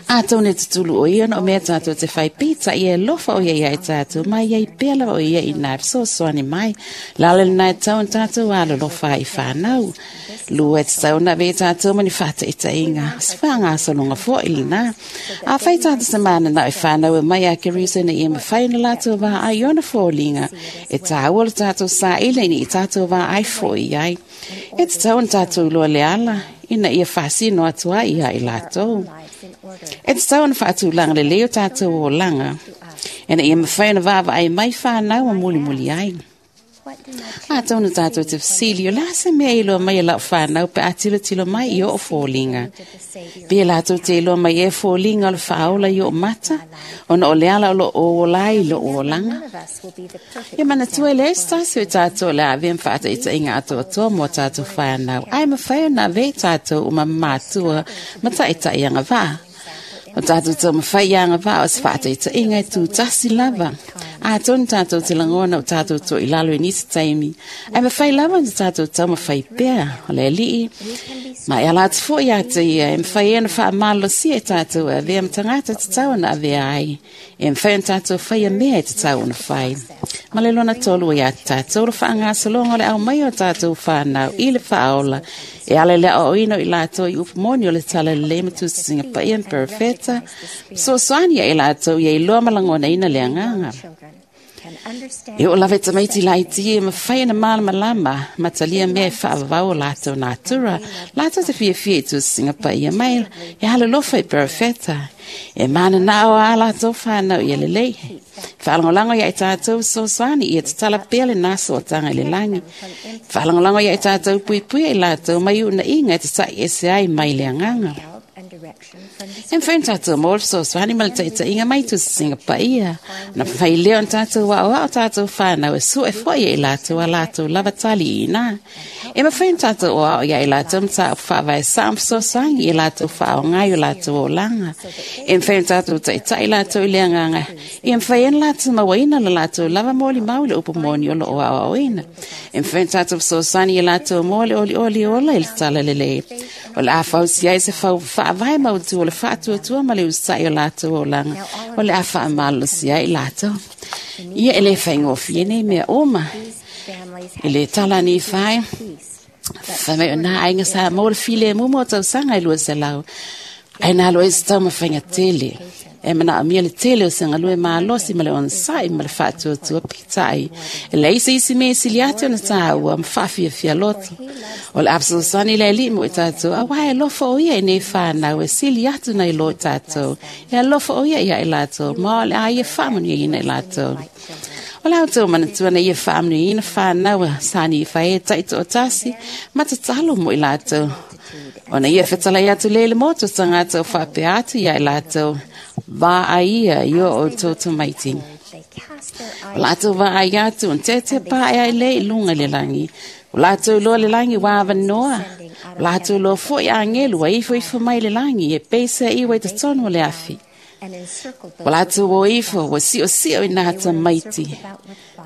A tau ne tutulu o ia no mea tātou te whai pita i e lofa o ia ia i tātou, mai ia i pela o ia i nā sosoani mai. Lale nai tau tātou alo lofa i whānau. Lua te tau na ve tātou mani whata i ta inga. Swanga asolonga fo i lina. A whai tātou se mana na i whānau e mai a ke riso na ia mawhai na lātou wā ai ona fōlinga. E tāua le tātou sa ile ni i tātou wā ai fo i ai. E te tau tātou loa le ala, ina ia whasino atua ia i lātou. E te tau na whaatulanga le leo tātou o langa. Ina ia mawhai na wawa ai mai whānau a muli muli ai. A tau na tātou te whasili o la se mea i loa mai a lau whānau pe a tilo tilo mai i o fōlinga. Pe lātou te iloa mai e fōlinga o le whaola i o mata, ona o le ala o lo o lai lo o langa. Ia mana tua le stasi o tātou le ave mwhaata i ta inga atoa toa mō tātou whānau. Ai mawhai o nā ve tātou o mamatua mata i ta ianga vā. O tātou tō mawhai ianga vā o se whaata i ta inga i tū tasi lava. Atonu tātou te lagona o tātou toʻi lalo i nisi taimi, ae mafai lava ona tātou taumafai pea o le Alii, ma e ala atu foʻi iā te ia e mafai ai ona faamalolosia i tātou e avea ma tagata e tatau ona avea ai, e mafai ona tātou faia mea e tatau ona fai. Ma le lona tolu ua iā te tātou le faagasologa o le aumaia o tātou whānau i le faaola e ala i le aoaoina o i latou i upu moni o le Talalelei ma tusitusiga paia ma perofeta, fesoasoani ia i latou ia iloa ma lagonaina le agaga. E oo lava i tamaiti laiti e mafai ona malamalama ma talia mea e faavavau o latou natura, latou te fiafia i tusitusiga paia mai e alolofa i perofeta. E mananao a latou whānau ia lelei. Whaalangolago ia i tātou fesoasoani ia tatala pea lenā sootaga i le lagi. Whaalangolago ia i tātou puipuia i latou mai uunaiga e tataʻi ese ai mai le agaga. E mafai ona tātou maua le fesoasoani ma le taʻitaʻiga mai tusitusiga paia, ona mafai lea ona tātou aoao tātou whānau e sue foʻi ia i latou a latou lava tali i inā. E mafai ona tātou aoao ia i latou mataupu faavae saʻo ma fesoasoani i latou faaaoga i o latou olaga. E mafai ona tātou taʻitaʻi latou i le agaga ia mafai ai ona latou mauaina lo latou lava molimau i le upu moni o loo aoaoina. E mafai ona tātou fesoasoani ia latou mo le olioli ola i le Talalelei. O le a fausia ai se fau faavae mautū o le faatuatua ma le usaʻi o latou olaga, o le a faamalolosia ai i latou. Ia e lē faigofie nei mea uma. I le tala ni fai, fai mai o nā aiga sa maua le filemu mo tausaga e 200. Ae na alo ai se taumafaiga tele. E manaomia le tele o se galue malosi ma le onosai ma le faatuatua peitai. E leai se isi mea e sili atu ona tāua ma faafiafia loto. O le a fesoasoani le Alii mo i tātou, auā e alofa o ia i nei whānau e sili atu nei lo i tātou. E alofa o ia ia i latou, ma o le a ia faamanuiaina i latou. O le outou manatua na ia faamanuiaina whānau a sani i whai e taitoatasi ma tatalo mo i latou. Ona ia fetalai atu le le motu o tagata o faapea atu ia i latou, vaai ia i o outou tamaiti. O latou vaai atu, ona tetea pae ai le i luga i le lagi. O latou iloa le lagi ua avanoa. O latou iloa foʻi agelu ua ifo ifo mai le lagi e peisa iwa i totonu o le afi. O latou o ifo ua siʻosiʻo i nā tamaiti.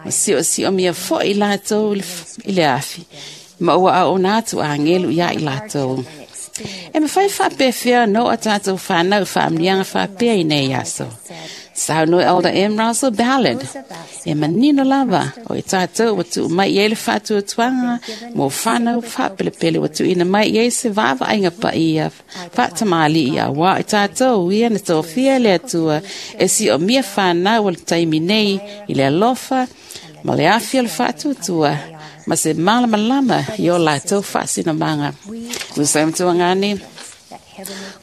Ua siʻosiʻo mia foʻi i latou i le afi. Ma ua aoona atu agelu iā i latou. E mafai faapefea ona oo a tātou whānau faamanuiaga faapea i nei aso. Saunoa Elder M. Russell Ballard. E manino lava o i tātou ua tuu mai i ai le faatuatuaga mo whānau faapelepele ua tuuina mai i ai se vaavaaiga paia faatamalii auā o i tātou ia na tofia e le Atua e siomia whānau o le taimi nei i le alofa ma le afi o le faatuatua ma se malamalama i o latou faasinamaga. Ua sa matuagane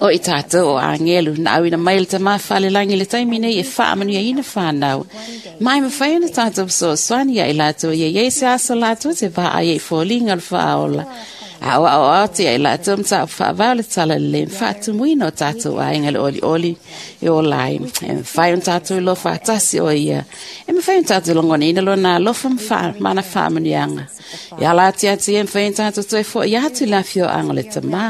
o i tātou o agelu na auina mai le tamā falelagi i le taimi nei e faamanuiaina whānau. Mai mafai ona tātou fesoasoani ia i latou ia iai se aso latou te vaai ai i foliga o le faaola. A o ao atu ia i latou mataupu faavae o le Talalelei ma faatumuina o tātou aiga le olioli e ola ai. E mafai ona tātou iloa faatasi o ia. E mafai ona tātou lagonaina lona alofa ma mana faamanuiaga. E ala atu ia te ia mafai ona tātou toe foʻi atu i le afioaga o le Tamā.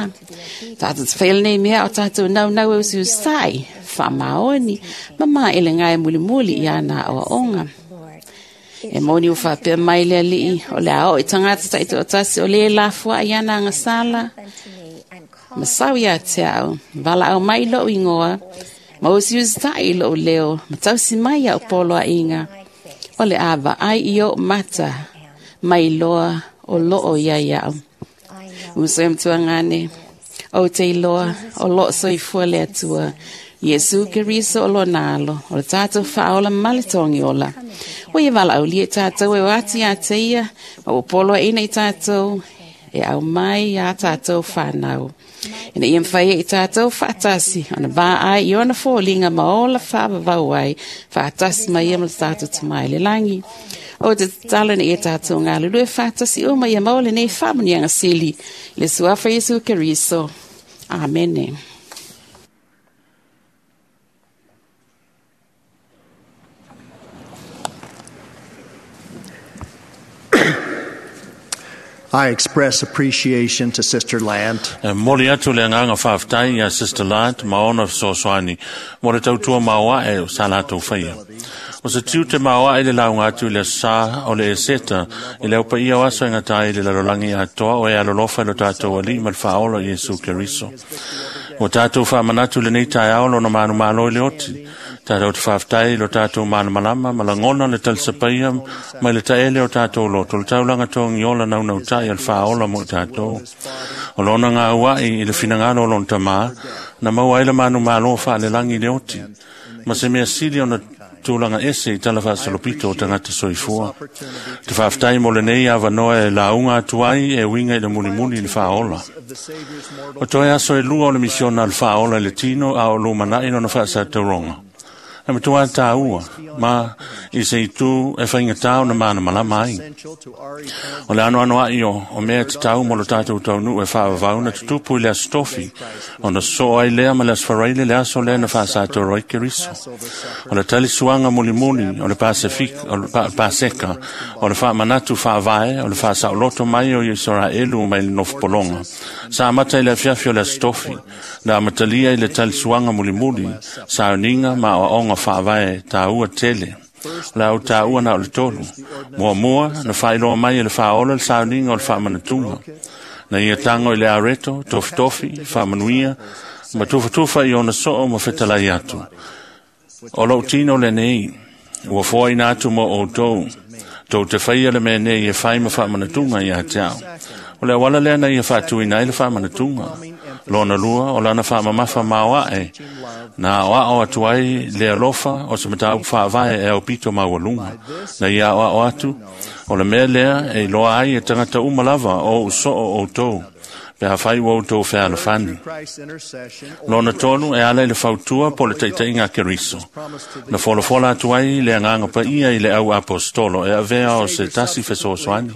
Tātou te whai lenei mea o tātou naunau e usiusai, faamaoni, ma maelega e mulimuli i ana aoaoga. E moni ua faapea mai le Alii, o le a oo i tagata taitoatasi o lē lafoaʻi ana agasala, ma sau iā te au, valaau mai i loʻu igoa, ma usiusitaʻi i loʻu leo, ma tausi mai iaʻu poloaʻiga, o le a vaai i oʻu mata, mai loa o loo ia iaʻu. Uso e matuagane, ou te iloa, o loo soifua le Atua, Iesu Keriso o lona alo, o le tātou faaola ma le togi ola. Ua ia valaaulia i tātou e o atu iā te ia, ma ua poloaʻina i tātou e aumai iā tātou whānau. Ina ia mafai ai i tātou faatasi, ona vaai i ona foliga ma ola faavavau ai, faatasi ma ia ma le tātou Tamā i le lagi. O te tatalo ina ia tātou galulue faatasi uma ia maua lenei faamanuiaga sili, i le suafa o Iesu Keriso. Amene. I express appreciation to Sister Land. E moli atu le agaga faafetai iā Sister Land ma ona fesoasoani mo le tautua maoaʻe o sa latou faia. O se tiu te maoa i le launga atu i le sa o le eseta, i le aupa ia o aso e ngata i le lalolagi atoa o e alolofa i lo tātou ali ma le whaola i Iesu Keriso. O tātou whaamanatu le nei taeao lona manu malo i le oti. Tātou te whaaftai lo tātou malamalama, malangona le talisapaia, mai le taele o tātou loto, le taulanga tongi ola naunau tai al whaola mo tātou. O lona ngā uai i le finangalo o lona tamā, na maua ai le manu malo whaalelangi le oti. Ma se mea sili ona tūlanga ese i tala whaasalopito o tangata soifua. Te whaaftai mo le nei awanoa e launga atu ai e winga i le mulimuli i le whaola. O toe aso e lua o le misiona le whaola i le tino a o lumanai lona whaasatauronga. E matua tāua, ma i se itu e whainga tāu na mana malama ai. O le ano ano ai o mea te tau mo lo tātou taunu e whaavau na tutupu i le astofi, o na so ai lea ma le asfaraile le aso lea na whaasatoro i Keriso. O le talisuanga mulimuli, o le Pasifika, o le Paseka, o le whaamanatu whaavae, o le whaasaoloto mai o Israelu mai le nofopolonga. Sa amata i le afiafi o le astofi, na amatalia i le talisuanga mulimuli, sa uninga ma o onga whaavae tāua tele. La au tāua na o le tolu. Mua mua, na whailoa mai e le whaola le sauninga o le whaamanatunga. Na ia tango i le areto, tofi tofi, whaamanuia, ma tufatufa i ona soo ma fetalai atu. O lou tino le nei, ua foa ina atu mo o tau, tau te whaia le mea nei e whai ma whaamanatunga i a te au. O le awala lea na ia whaatuina i le whaamanatunga. Lona lua, o lana whaamamafa maoa e, na o ao atu ai le alofa o se matau whaavae e au pito maualunga. Na ia o ao atu, o le mea lea e loa ai e tangata umalava o usoo o tau, pe hawhai o tau whealafani. Lona tonu e ala i le fautua po le teiteinga Keriso. Na folafola atu ai le anganga paia i le au apostolo e avea o se tasi fesoasoani.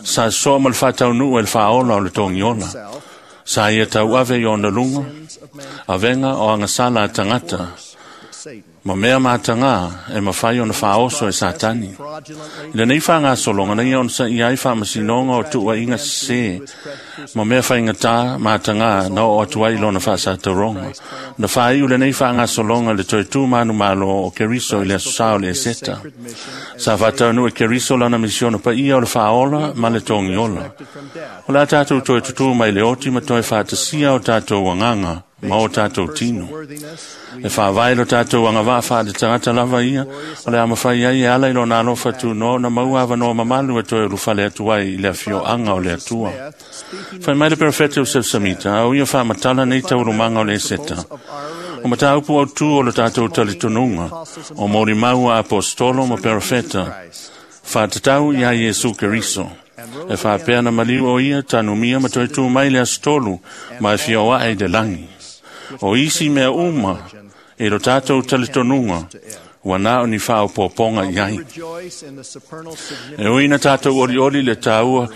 Sa soa ma le whataunu e le whaola o le tongiola. Sa ia tau ave i ona lunga, avenga o angasala a tangata, ma mea mātanga e mawhai ona whaoso e satani. I le nei whaanga solonga nei ona sa i ai whaamasinonga o tua inga se, ma mea whainga mātanga na o atu ai lona whaasataronga. Na whai u le nei whaanga solonga le toi tū manu malo o Keriso i le asusao le eseta. Sa whataunu e Keriso lana misiona pa ia o le whaola ma le tongiola. O la tātou toi tutu mai le oti ma toi whaatasia o tātou wanganga ma o tātou tino. E whaavai lo tātou anga wha le tangata lava ia, o le amawhai ai e ala i lo nā lofa tu no, na maua awa noa mamalu e toi ulufale atu ai i le afio anga o le atua. Whai mai le perfete o Sefsamita, au ia whaamatala nei taurumanga o le eseta. O mataupu au tu o le tātou talitonunga, o mori maua apostolo ma perfeta, whaatatau i a Iesu Keriso. E whaapea na maliu o ia, tanumia ma toi tū mai le astolu, ma e fio ae le langi. O isi mea uma, e lo tātou talitonunga, ua nā o ni whao pōponga i ai. E uina tātou ori ori le tāua,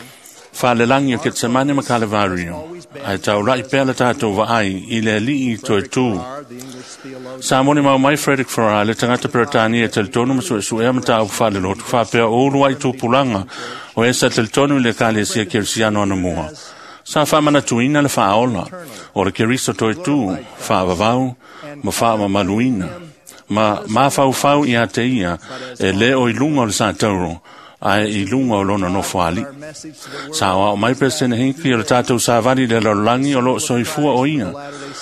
whalelangi o Ketsemane ma Kalevario, ai tau rai pea le tātou vaai i le alii toi tū. Sa moni mau mai Frederick Farrar, le tangata peretani e talitonu ma suesuea ma tāu whalelotu, whapea uru ai tūpulanga, o esa talitonu i le kalesia Kerisiano anamua. Sa whaamanatuina le whaola, o le Keriso toi tū, whaavavau, ma whaamamaluina. Ma mawhauwhau i a te ia, e leo i lunga o le sātauro, ai i lunga o lona nofo ali. Sa o mai presene hinki o le tātou sāvari le lalolangi o lo soifua o ia,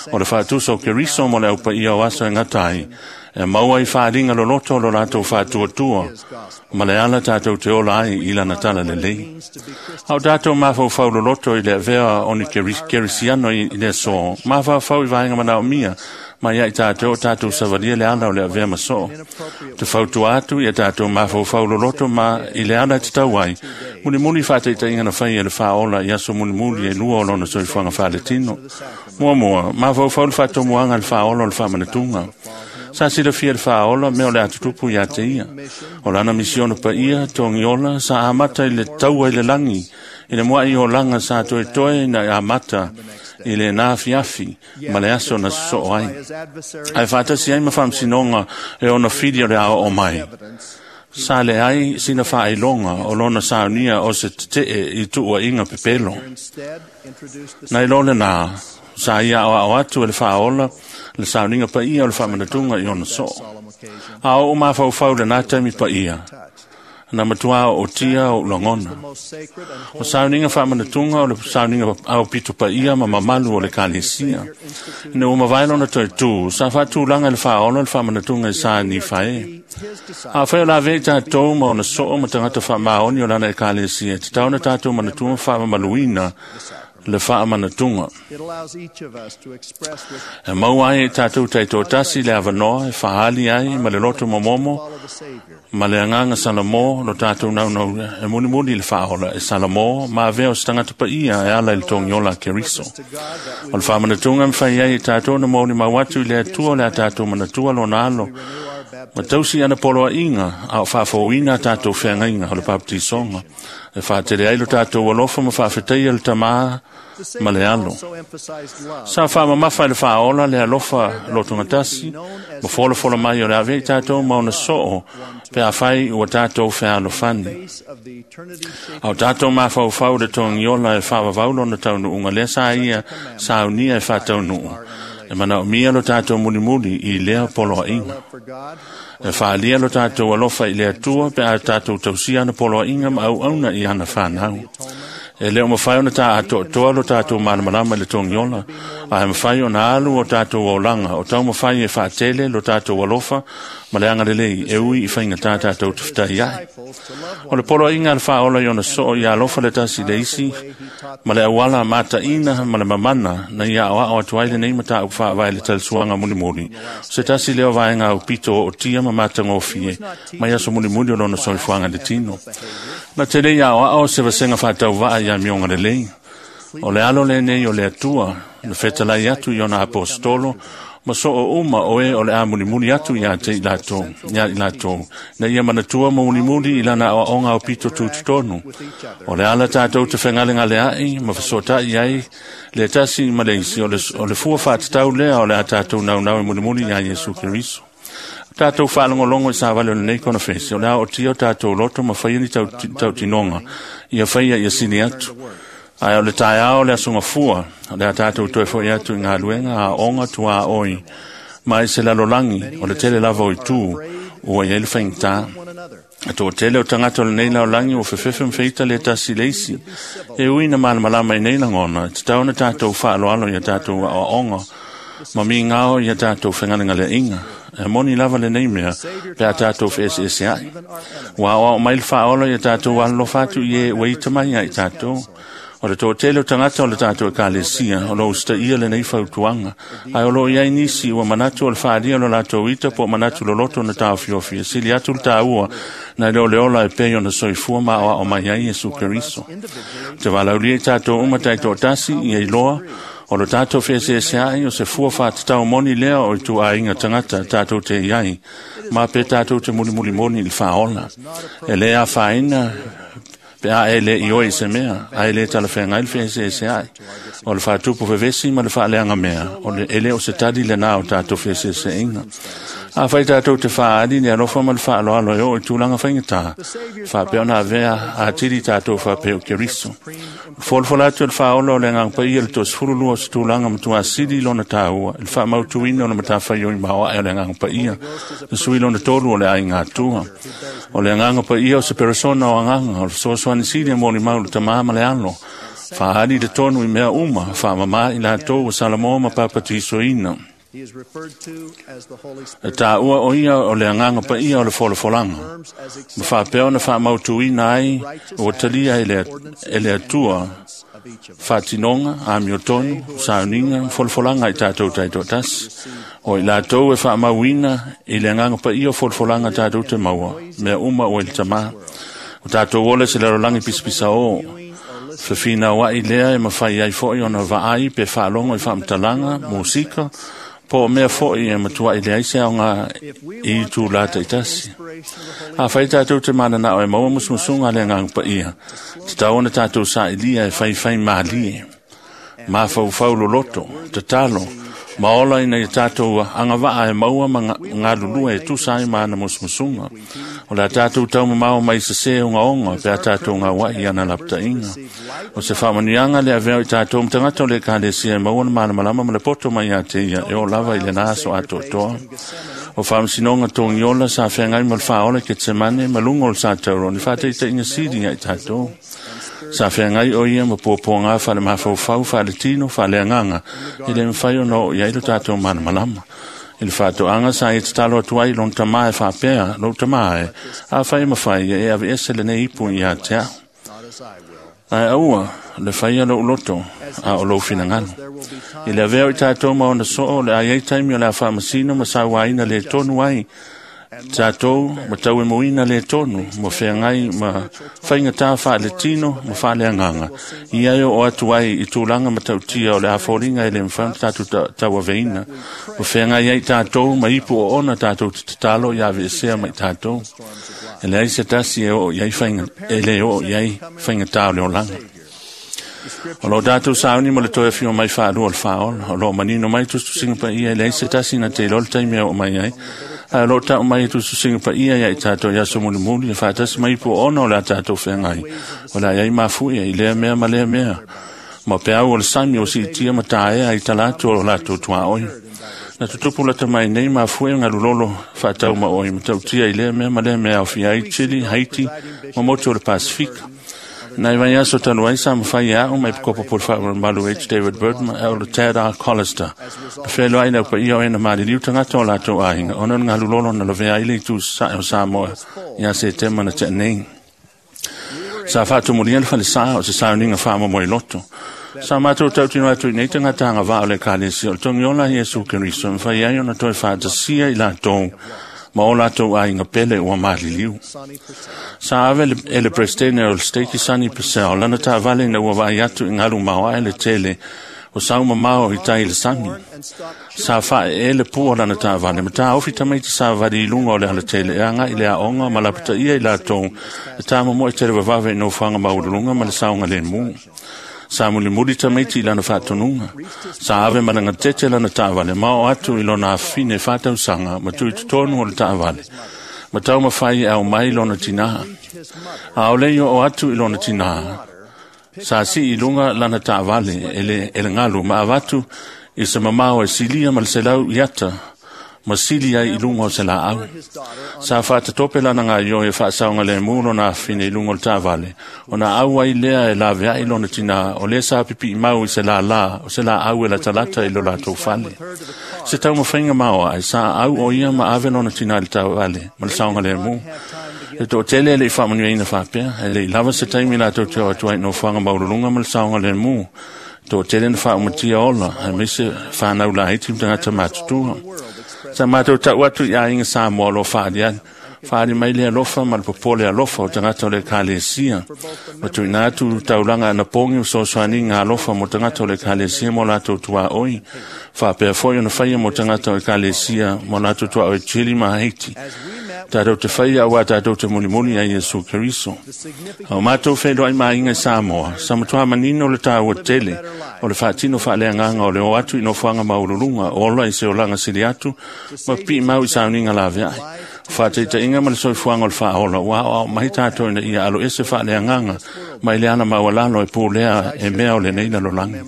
o le whaatuso o Keriso mo le aupa ia o aso e ngatai, e maua i whaaringa loloto o lo rātou whaatuatua, ma le ala tātou te ola ai i lana tala le lei. Au tātou mawhauwhau loloto i le avea o ni Kerisiano i le so, mawhauwhau i vaenga manao mia, ma ia i tātou o tātou savaria le ala o le avea maso. Te fautua atu i a tātou mawhauwhau loloto ma i le ala te tau ai. Muli muli whāteita na whai e le whaola i aso muli muli e lua o lona soifuanga whaletino. Mua mua, mawhauwhau le whaatomuanga le whaola o le whaamanatunga. Sa sila fia le whaola mea o le atutupu i a te ia. O lana misiona pa ia, tongiola, sa amata i le taua i le langi. I le mua i o langa sa toe toe na amata i le nā fiafi ma le aso na soo ai. Ai whaatasi ai ma whamsinonga e ona whiri o le ao o mai. Sa le ai sina whailonga o lona saunia o se tetee i tuua inga pepelo. Nei lole nā, sa ia o ao atu e le whaola, Le sauniga paia o le faamanatuga i ona soo. A oo mafaufau lenā taimi paia, na matuā ootia o lagona. O sauniga faamanatuga o le sauniga aupito paia ma mamalu o le ekalesia. Ina ua mavae lona toetū, sa faatulaga i le faaola le faamanatuga i sa Nifae. Afai o lavea i tatou ma ona soo ma tagata faamaoni o lana ekalesia, e tatau ona tatou manatua ma faamamaluina le faamanatuga. E maua ai e tatou taitoatasi le avanoa e faali ai ma le loto momomo ma le agaga Salamo lo tatou naunau e mulimuli le faaola e Salamo ma avea o se tagata paia e ala i le togiola a Keriso. O le faamanatuga e mafai ai e tatou na molimau atu i le Atua o le a tatou manatua lona alo ma tausi ana poloaiga a o faafouina a tatou feagaiga o le papatisoga e faatele ai lo tatou alofa ma faafetaia le Tamā ma le Alo. Sa faamamafa i le faaola le alofa lotogatasi ma folafola mai o le avea i tatou ma ona soo pe afai ua tatou fealofani. A o tatou mafaufau le togiola e faavavau lona taunuuga lea sa ia saunia e faataunuu. E manaomia lo tatou mulimuli i lea poloaiga. E faaalia lo tatou alofa i le Atua pe a tatou tausia ana poloaiga ma auauna i ana fanau. E le o mafai ona taatoatoa lo tatou malamalama i le togiola, ae mafai ona alu o tatou olaga o taumafai e faatele lo tatou alofa ma le agalelei e ui i faigatā tatou te fetai ai. O le poloaiga a le faaola i ona soo ia alofa le tasi le isi ma le auala mataina ma le mamana na ia aoao atu ai lenei mataupu faavae le talisuaga mulimuli. O se tasi lea o vaega aupito o otia ma matagofie mai aso mulimuli o lona soifuaga i le tino. Na tele ia aoao se vasega faatauvaa ia mioga lelei. O le alo lenei o le Atua na fetalai atu i ona aposetolo ma soo uma o e o le a mulimuli atu ia te i latou, ia i latou, na ia manatua ma mulimuli i lana aoaoga aupito tutotonu. O le ala tatou te fegalegaleai ma fesoatai ai le tasi ma le isi, o le fua faatatau lea o le a tatou naunau e mulimuli ia Iesu Keriso. Tatou faalogologo i savali o lenei konofesi, o le a ootia o tatou loto ma faia ni tautinoga, ia faia ia sili atu. Ae o le taeao le aso gafua, o le a tatou toe foi atu i galuega aoga tuaoi, ma i se lalolagi o le tele lava o itu ua i ai le faigata. E toatele o tagata o lenei lalolagi ua fefefe ma feita le tasi le isi. E ui na malamalama i nei lagona, e tatau ona tatou faaloalo ia tatou aoaoga ma migao ia tatou fegalegaleaiga. E moni lava lenei mea pe a tatou feeseeseai. Ua aoao mai le faaola ia tatou alolofa atu i e ua ita mai ia i tatou. O le toatele o tagata o le tatou ekalesia o lo usitaia lenei fautuaga, ae o loo i ai nisi ua manatu o le faaalia o lo latou ita po o manatu loloto na taofiofi e sili atu le taua nai le o le ola e pei ona soifua ma aoao mai ai Iesu Keriso. Te valaulia i tatou uma taitoatasi ia iloa o lo tatou feeseeseai o se fua faatatau moni lea o ituaiga tagata tatou te i ai, ma pe tatou te mulimuli moni i le faaola. E lē afaina pe a e le i oe i se mea, ae le talafeagai le feeseeseai. O le faatupu fevesi ma le faaleaga mea, o le e le o se tali lenā o tatou feeseeseaiga. Afai tatou te faaali le alofa ma le faaloalo e oo i tulaga faigatā, faapea ona avea atili tatou faapea o Keriso. Folafola atu e le faaola o le Agaga Paia le 22 o se tulaga matuā sili lona taua i le faamautuina o le matafaioi maoae o le Agaga Paia, le sui lona tolu o le aiga Atua. O le Agaga Paia o se peresona o agaga, o le fesoasoani sili e molimau le Tamā ma le Alo, faaali le tonu i mea uma, faamamā i latou ua Salamo ma papatisoina. E taua o ia o le Agaga Paia o le folafolaga, ma faapea ona faamautuina ai ua talia e le Atua faatinoga, amiotonu, sauniga ma folafolaga i tatou taitoatasi. O i latou e faamauina i le Agaga Paia o folafolaga tatou te maua, mea uma ua i le Tamā. O tatou ola se lalolagi pisapisaō, fefinauai lea e mafai ai foi ona vaai pe faalogo i faamatalaga, musika, po o mea foi e matuai leai se aoga i itulā taitasi. Afai tatou te mananao e maua musumusuga a le Agaga Paia, tatau ona tatou sailiga e faifai malie. Mafaufau loloto, tatalo, ma ola ina ia tātou agavaa e maua ma galulue e tusa ai ma ana musumusuga. O le a tātou taumamao mai sesē ogaoga pe a tātou gauaʻi ana lapataʻiga. O se faamanuiaga le avea o i tātou ma tagata o le ekalesia e maua le malamalama ma le poto mai iā te ia e oo lava i lenā aso atoatoa. O faamasinoga togiola sa feagai ma le faaola i Ketsemane ma luga o le satauro ni faataitaiga sili ia i tātou. Sa feagai o ia ma puapuagā faale-mafaufau, faale-tino, faaleagaga e lē mafai ona oo i ai lo tatou malamalama. I le faatoaga sa ia tatalo atu ai lona tamā e faapea, lou tamā e, afai e mafai ia e aveese lenei ipu iā te a'u. Ae aua le faia lou loto a o lou finagalo. I le avea o i tātou ma ona soo, o le a iai taimi o le a faamasino ma sauāina lē tonu ai tātou ma tauemoina lē tonu ma feagai ma faigatā faaletino ma faaleagaga ia e oo atu ai i tulaga matautia o le a foliga e lē mafai ona tatou tauaveina ma feagai ai tātou ma ipu oona tatou te tatalo ia aveesea mai tātou. E leai se tasi e oo i ai faiga e lē oo i ai faigatā o le olaga. O loo tatou sauni ma le toe afio mai faalua o le faaola. O loo manino mai tusitusiga paia e leai se tasi na te iloa le taimi e oo mai ai. Ae o loo tau mai e tusitusiga paia ia i tātou i aso mulimuli e faatasi mai ipu oona o le a tātou feagai. O le a iai mafuia i lea mea ma lea mea. Ma peau o le sami o siitia ma taea i talatu o latou tuaoi. Na tutupu lata mai nei mafue galulolo faatau ma oi matautia i lea mea ma lea mea aofia ai Chile, Haiti ma motu o le Pasifika. Nai vai aso talu ai sa mafai e a'u ma epikopo po le faamalumalu H. David Burton ma Elder Tad R. Collister. Na fealoai le aupaia o e na maliliu tagata o latou aiga ona o le galulolo na lavea ai le itu sae o Samoa ia Setema na tea nei. Sa faatumulia le falesā o se sauniga faamomoiloto. Sa matou tautino atu i nei tagata agavaa o le ekalesia o le togiola a Iesu Keriso e mafai ai ona toe faatasia i latou ma o latou aiga pele ua maliliu. Sa ave e le Peresetene o le Steiki Sonny Purcell lana taavale ina ua vaai atu i galu maoae le tele o saumamao i tai i le sami. Sa faaee le pua o lana taavale ma taofi tamaiti savali i luga o le alatele e agaʻi le aoga ma lapataia i latou e tamomoe televavave i nofoaga maualuluga ma le saogalēmū. Sa mulimuli tamaiti i lana faatonuga. Sa ave ma lagatete lana taavale ma oo atu i lona afafine faatausaga ma tui totonu o le taavale. Ma taumafai e ao mai lona tinā. Aole i oo atu i lona tinā. Sa sii i luga lana taavale e le, e le galu ma avatu i se mamao e silia ma le 100 iata ma sili ai i luga o se laau. Sa faatatope lana gaio e faasaogalēmū lona afafine i luga o le taavale, ona au ai lea e laveai lona tinā o lea sa pipiimau i se lālā o se laau e latalata i lo latou fale. Se taumafaiga maoae, sa au o ia ma ave lona tinā i le taavale ma le saogalēmū. E toatele e leʻi faamanuiaina faapea, e leʻi lava se taimi latou te oo atu ai i nofoaga maualuluga ma le saogalēmū. Toatele na faaumatia ola, aemaise fanau laiti ma tagata matutua. Sa matou tau atu i aiga Samoa o loo faaliali. Faali mai le alofa ma le popole alofa o tagata o le ekalesia. Ma tuuina atu taulaga anapogi o fesoasoaniga alofa mo tagata o le ekalesia mo latou tuaoi. Faapea foi ona faia mo tagata o ekalesia mo latou tuaoi Chile ma Haiti. Tatou te faia auā tatou te mulimuli ai Iesu Keriso. A o matou feiloai ma aiga i Samoa, sa matuā manino le tāua tele o le faatino faaleagaga o le o atu i nofoaga maualuluga, ola i se olaga sili atu ma piimau i sauniga laveai. O faataitaiga ma le soifuaga o le faaola ua aoao mai tatou ina ia aloese faaleagaga mai le ala maualalo e pulea e mea o lenei lalolagi.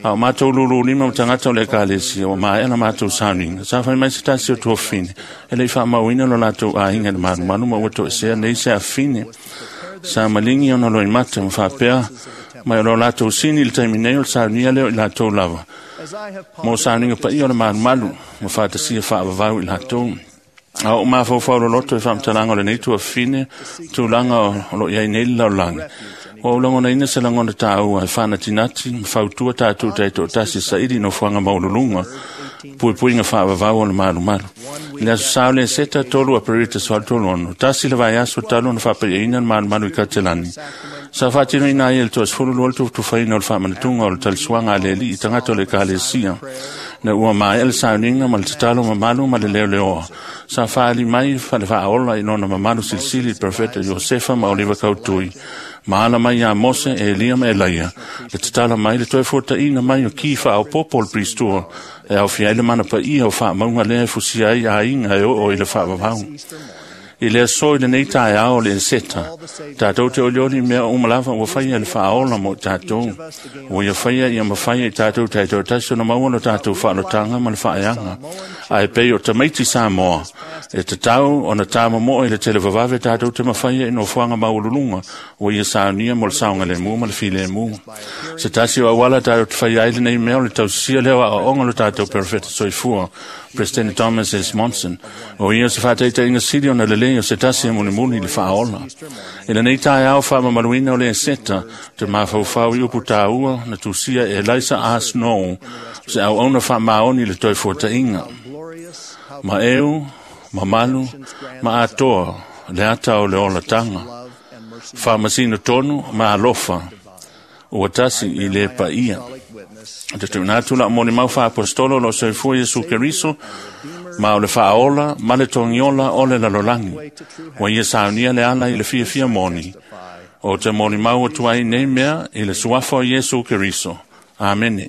A o matou lululima ma tagata o le ekalesia ua maea la matou sauniga, sa fai mai se tasi o tuafafine e leʻi faamauina lo latou aiga i le malumalu ma ua toesea nei se afafine. Sa maligi ona loimata ma faapea mai o lo latou sini i le taimi nei o le saunia lea o i latou lava mo sauniga paia o le malumalu ma faatasia faavavau i latou. A o mafaufau loloto i faamatalaga o lenei tuafafine, tulaga o loo i ai nei le lalolagi. Ua ou lagonaina se lagona tāua e faanatinati ma fautua tatou taitoatasi e saili i nofoaga maualuluga puipuiga faavavau o le malumalu. I le aso sa o le Eseta 3 Aperita 36, tasi le vaiaso talu ona faapaiaina le malumalu i Katelani. Sa faatinoina ai e le 12 le tufatufaina o le faamanatuga o le talisuaga a le alii i tagata o le ekalesia. Na ua maea le sauniga ma le tatalo mamalu ma le leoleoa. Sa faali mai fale faaola i lona mamalu silisili i le Perofeta Iosefa ma Oliva Kautui. Ma ala mai iā Mose, Elia ma Elaia, le tatala mai le toe fuataʻiga mai o ki faaopoopo o le Pilistua, e aofia ai le mana paia o faamauga lea e fusia ai aiga e oo i le faavavau. I le aso i lenei taeao o le Eseta, tatou te olioli mea uma lava ua faia le faaola mo i tatou. Ua ia faia ia mafai e tatou taitoatasi ona maua lo tatou faalotaga ma le faaeaga. Ae pei o tamaiti Samoa, e tatau ona tāmomo'o i le televavave tatou te mafaia i nofoaga maualuluga ua ia saunia mo le saogalemu ma le filemu. Se tasi o auala tatou te faia ai lenei mea o le tausisia lea o aoaoga o lo tatou perofeta soifua, President Thomas S. Monson, o ia se faataitaiga sili ona lelei o se tasi e mulimuli i le faaola. I lenei taeao faamamaluina o le Eseta, te mafaufau i upu tāua na tusia e Eliza R. Snow, se auauna faamaoni i le toe fuataʻiga. Ma eu, mamalu, ma atoa le ata o le olataga. Faamasino tonu ma alofa, ua tasi i le paia. Te tuuina atu lau molimau faaapostolo o loo soifua Iesu Keriso, ma o le faaola ma le togiola o le lalolagi. Ua ia saunia le ala i le fiafia moni. O te molimau atu ai nei mea i le suafa o Iesu Keriso. Amene.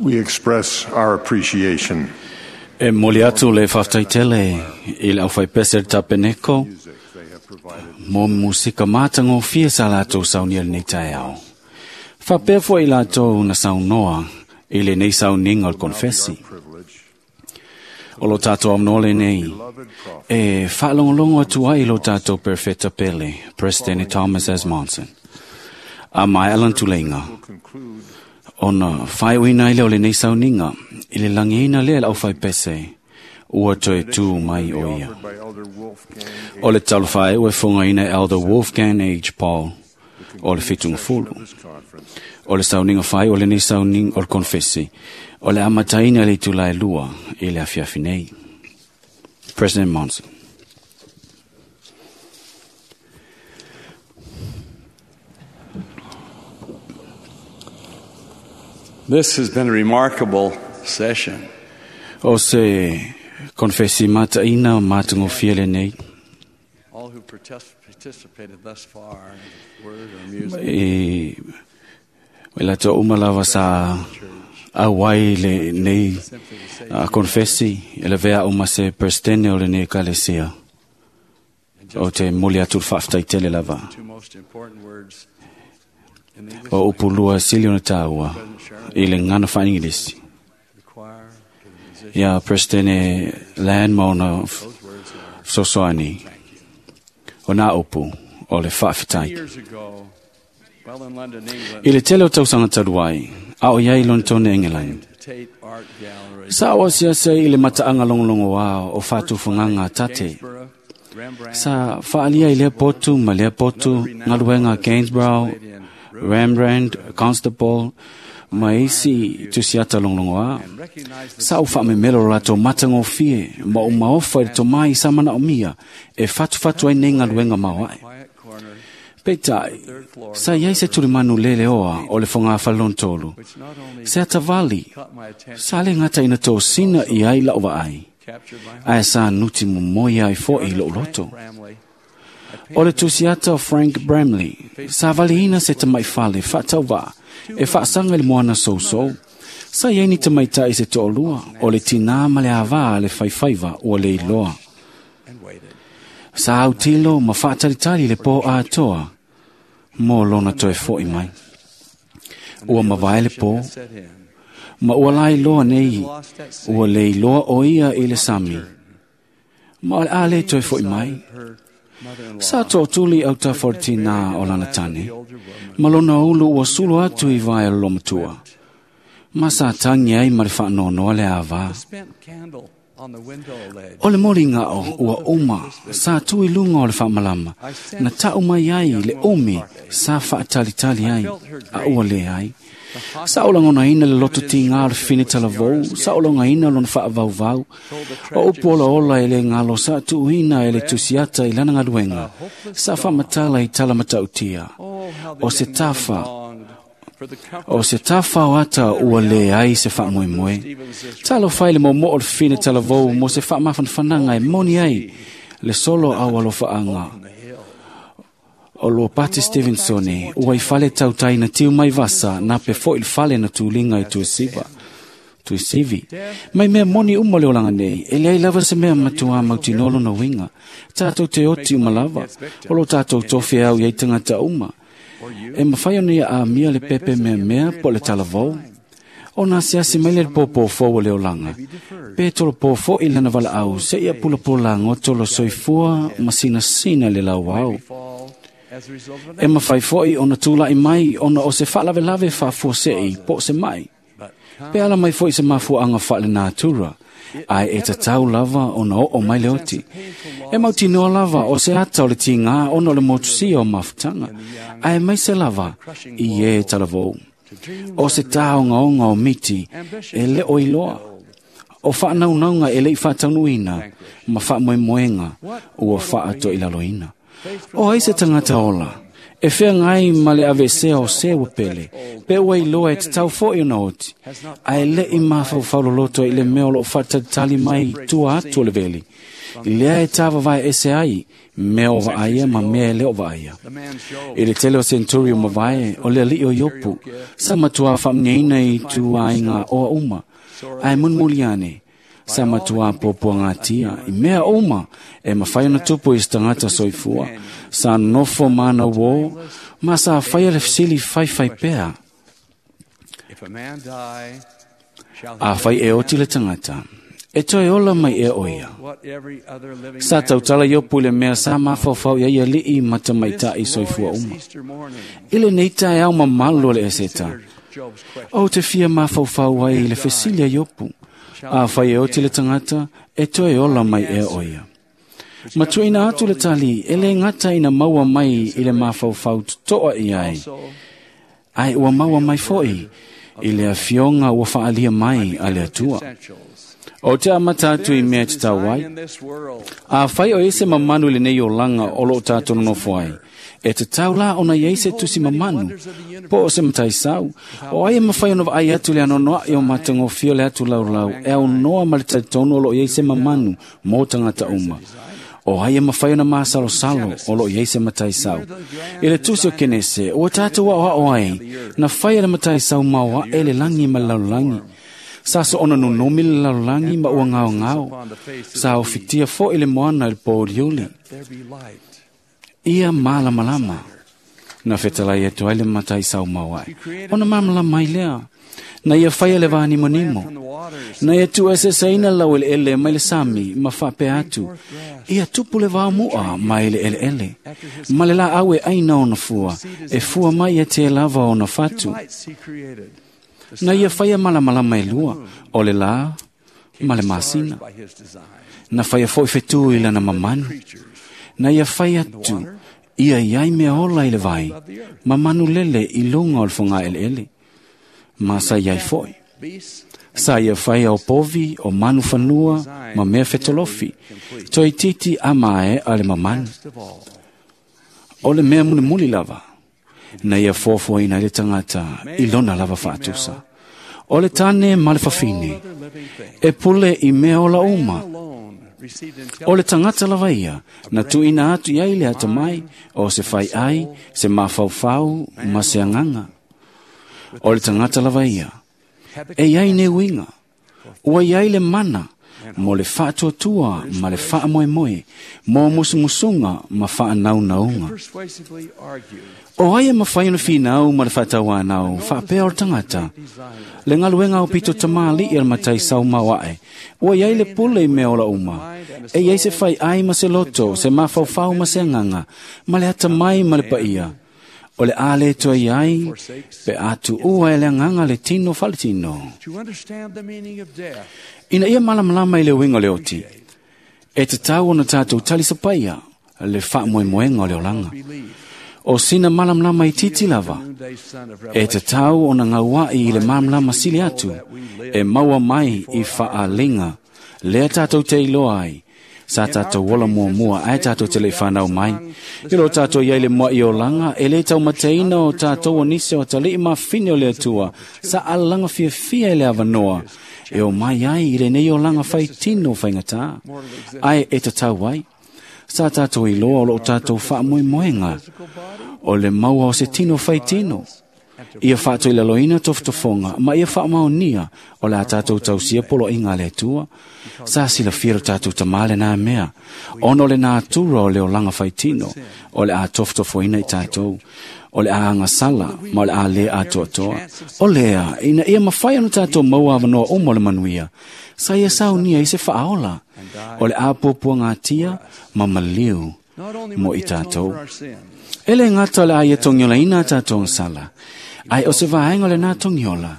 We express our appreciation. E moli atu le whaftaitele i le auwhai pese tapeneko mo musika mātangofie sa lātou saunia le nei taeao. Whapea fo i lātou na saunoa i le nei sauninga o le konfesi. O lo tātou amnole nei, e whaalongolongo atu ai lo tātou perfecta pele, President Thomas S. Monson. A mai alan tulenga, ona whai uina ile o le nei sauninga, i le langiina lea lau whai pese, ua toe tū mai o ia. O le talofai ua funga ina Elder Wolfgang H. Paul, o le fitunga fulu. O le sauninga whai o le nei sauninga o le konfesi, o le amataina le tūlai lua i le afiafi nei. President Monson. This has been a remarkable session. O se konfesi mataina matangofia le nei. All who participated thus far in word or music. E la uma lava sa auai le nei konfesi e le vea uma se presidente o le nei kalesia. O te moli atu whaftaitele lava. O upulua sili ona tāua i le ngana whaingilisi. Ia Presidente Lan Mauna Sosoani o nā upu o le whaafetai. I le tele o tausanga taluai, a o iai Lontone Engelain. Sa o siasa i le mataanga longolongo wā o whātufunganga tate. Sa whaalia i lea potu ma lea potu ngaluenga Gainsborough, Rembrandt, Constable, ma isi tusiata longlongoa. Sa o whaamemelo rato matangofie, ma o maofa i to mai sa mana o mia, e fatu fatu ai nei ngaluenga maoae. Peitai, sa iai se tulimanu lele oa o le whanga whalontolu. Se atavali, sa le ngata ina tō sina i ai lau ai. Ae sa nuti momoi ai fo i lo loto. O le tusiata o Frank Bramley, sa valihina se tamai fale whaatauva, e whaasanga le moana sousou. Sa iai ni tamaitai se to'olua, o le tinā ma le avā le whaiwhaiva ua le iloa. Sa autilo ma whaatalitali le pō atoa, mō lona toe foi mai. Ua mavae le pō, ma ua lai loa nei, ua le iloa o ia i le sami. Ma o le a le toe foi mai. Sa tōtuli au ta fortina o lana tane, ma lona ulu ua sulu atu i vai o lomatua. Ma sa tangi ai ma le whaanonoa le awa. O le moli ngao ua uma, sa tui lunga o le whaamalama, na tau mai ai le omi sa whaatalitali ai, a ua le ai. Sa o langona ina le loto ti ngā le whine talavou, sa o longa ina lona whaavauvau, o upu ola ola e le ngalo sa tuuina e le tusiata i lana ngaluenga, sa whamatala i tala matautia. O se tawha, o se tawha o ata ua le ai se whaamoemoe. Talo whai le momo o le whine talavou mo se whaamawhanwhananga e moni ai, le solo au alofaanga. O lo Pati Stevensone, ua i fale tautai na tiu mai vasa, na pe fo il fale na tūlinga i tuisiva. Tuisivi. Mai mea moni uma le olanga nei, e leai lava se mea matua mautinolo na winga. Tātou te oti uma lava, o lo tātou tofi au iei tangata uma. E mawhai ona ia a mia le pepe mea mea po le talavou. O nā siasi mai le pōpō fō le olanga. Pe tolo pō i lana wala au, se ia pula pōla ngotolo soifua masina sina le lau au. E mawhai foi ona tūlai mai ona o se whaalawelawe whaafua po se mai. Pe ala mai foi se mafuaanga whaale nātura, ai e tatau lava ona o o mai le oti. E mautinoa lava o se ata o le tingā ona o le motusia o mafutanga, ai mai se lava i e talavou. O se tāongaonga o miti e le o iloa. O whaanaunanga e lei whaataunuina ma whaamoemoenga ua whaato i laloina. O ai se tangata ola, E feagai ma le aveesea o se ua pele, pe ua iloa e tatau fo'i ona oti, ae le'i mafaufau loloto ai i le mea o lo'o faatalitali mai i tua atu o le veli, lea e tavavae ese ai mea o vaaia ma mea e le o vaaia. I le tele o senturi o mavae, o le ali'i o Iopu, sa matuā faamuniaina i ituaiga oa uma, ae mulimuli ane, sa matuā puapuagatia i mea uma e mafai ona tupu i se tagata soifua, sa nofo ma uō, ma sa faia le fesili faifai pea. Afai e oti le tagata, e toe ola mai ea o ia. Sa tautala Iopu i le mea sa mafaufau i ai ali'i ma tamaita'i soifua uma. I lenei taeao mamalu o le Eseta, ou te fia mafaufau ai i le fesili a Iopu, afai e oti le tagata, e toe ola mai ea o ia. Matuaina atu le tali, e le gata ina maua mai i le mafaufau toto'a i ai, ae ua maua mai fo'i i le afioga ua faalia mai a le Atua. O te amata atu i mea e tatau ai. Afai o i ai se mamanu i lenei olaga o loo tatou nonofo ai, e tatau la ona i ai se tusi mamanu, po o se mataisau, o ai e mafai ona vaai atu le anoanoa'i o matagofie o le atu laulau e aunoa ma le talitonu o loo i ai se mamanu mo tagata uma. O ai e mafai ona masalosalo o loo i ai se mataisau. I le tusi o Kenese, ua tatou aoao ai, na faia le mataisau maoaʻe le lagi ma le lalolagi. Sa soona nonomi le lalolagi ma ua gaogao. Sa ofitia fo'i le moana i le pouliuli. Ia malamalama. Na fetalai atu ai le mataisau maoaʻe. Ona malamalama ai lea. Na ia faia le vanimonimo. Na ia tuueseeseina lau eleele mai le sami ma faapea atu, ia tupu le vaomu'a mai le eleele. Ma le laau e aina ona fua, e fua mai ia te lava ona fatu. Na ia faia malamalama e lua, o le lā ma le masina. Na faia fo'i fetū i lana mamanu. Na ia fai atu, ia i ai mea ola i le vai, ma manu lele i luga o le fogaeleele. Ma sa iai fo'i. Sa ia faia o povi, o manu fanua, ma mea fetolofi, toeitiiti a mae a le mamanu. O le mea mulimuli lava, na ia foafoaina ai le tagata i lona lava faatusa. O le tane ma le fafine, e pule i mea ola uma. O le tagata lava ia, na tuuina atu i ai le atamai, o se faiai, se mafaufau ma se agaga. O le tagata lava ia, e iai nei uiga, ua iai le mana mo le faatuatua ma le faamoemoe, mo musumusuga ma faanaunauga. O ai e mafai ona finau ma le faatauanau faapea o le tagata, le galuega o pito tamāli'i a le mataisau maoaʻe, ua iai le pule i mea ola uma, e iai se faiai ma se loto, se mafaufau ma se agaga, ma le atamai ma le paia. O le a le toe iai, pe a tuua e le agaga le tino faaletino. Ina ia malamalama i le uiga o le oti, e tatau ona tatou talisapaia le faamoemoega o le olaga. O sina malamalama itiiti lava, e tatau ona gaua'i i le malamalama sili atu, e maua mai i faaaliga, lea tatou te iloa ai, sa tatou ola muamua ae tatou te le'i fanau mai. I lo tatou iai le mua'i olaga, e lē taumateina o tatou o nisi o atali'i mafine o le Atua, sa alalaga fiafia i le avanoa, e o mai ai i lenei olaga faitino faigatā. Ae e tatau ai, sa tatou iloa o loo tatou faamoemoega, o le maua o se tino faitino. Ia faatoilaloina tofotofoga ma ia faamaonia o le a tatou tausia poloaiga a le Atua. Sa silafia lo tatou tamā lenā mea, ona o le natura o le olaga faitino, o le a tofotofoina i tatou, o le a agasala ma o le a lē atoatoa. O lea, ina ia mafai ona tatou maua avanoa uma o le manuia, sa ia saunia i se faaola, o le a puapuagatia ma maliu mo i tatou. E le gata o le a ia togiolaina a tatou agasala, ae o se vaega o lenā togiola,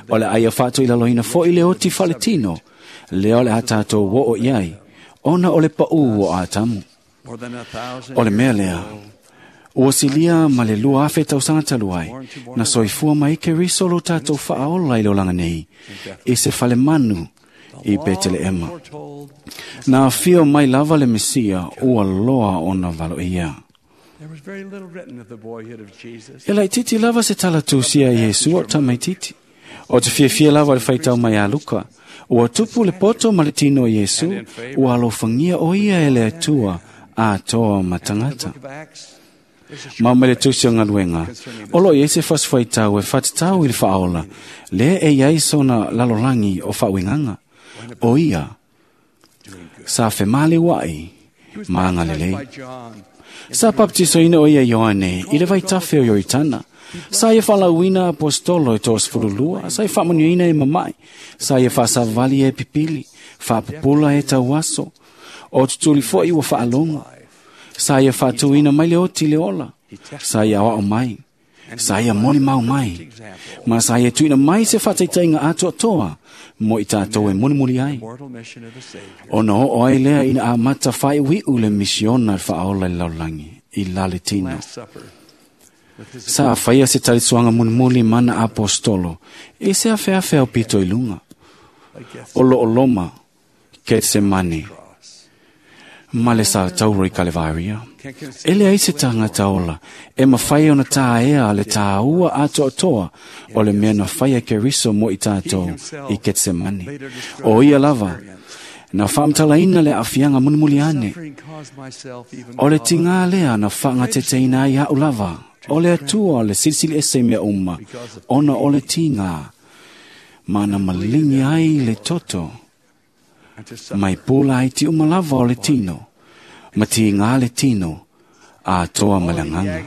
o le a ia faatoilaloina fo'i le oti faaletino, lea o le a tatou oo i ai, ona o le paʻū o Atamu. O le mea lea, ua silia ma le 2,000 tausaga talu ai, na soifua mai Keriso lo tatou faaola i le olaga nei, i se falemanu i Peteleema. Na afio mai lava le Mesia ua loa ona valoia. E laititi lava se talatusia Iesu o tamaititi. O te fiafia lava le faitau mai a Luka. Ua tupu le poto ma le tino Iesu, ua alofangia o ia e le Atua atoa ma tagata. Ma mai le tusi o galuega, o loo i ai se fasifuaitau e fatatau i le faaola, lea e i ai sona lalolagi o faauigaga. O ia, sa femaleuaʻi ma agalelei. Sa papatisoina o ia Ioane i le vaitafe o Ioritana. Sa ia faalauina apostolo e 32, sa ia faamanuiaina e mama'i, sa ia faasavali e pipili, faapupula e tauaso, o tutuli fo'i ua faalogo. Sa ia faatuina mai le oti le ola, sa ia aoao mai, sa ia molimau mai, ma sa ia tuuina mai se faataitaiga atoatoa mo i tatou e mulimuli ai. Ona oo ai lea ina amata faaiuiu le misiona le faaola i le lalolagi i laletino. Sa faia se talisuaga mulimuli mana apostolo i se afeafe au pito i luga. O loo loma Ketsemane ma le satauro i Kalevaria. E leai se tagata ola e mafai ona taea le tāua atoatoa o le mea na faia Keriso mo i tatou i Ketsemane. O ia lava na faamatalaina le aafiaga mulimuli ane. O le tigā lea na faagateteina ai a'u lava o le Atua le silisili ese i mea uma, ona o le tigā ma na maligi ai le toto mai pula ai ti uma lava o le tino, ma tigā le tino atoa ma le agaga.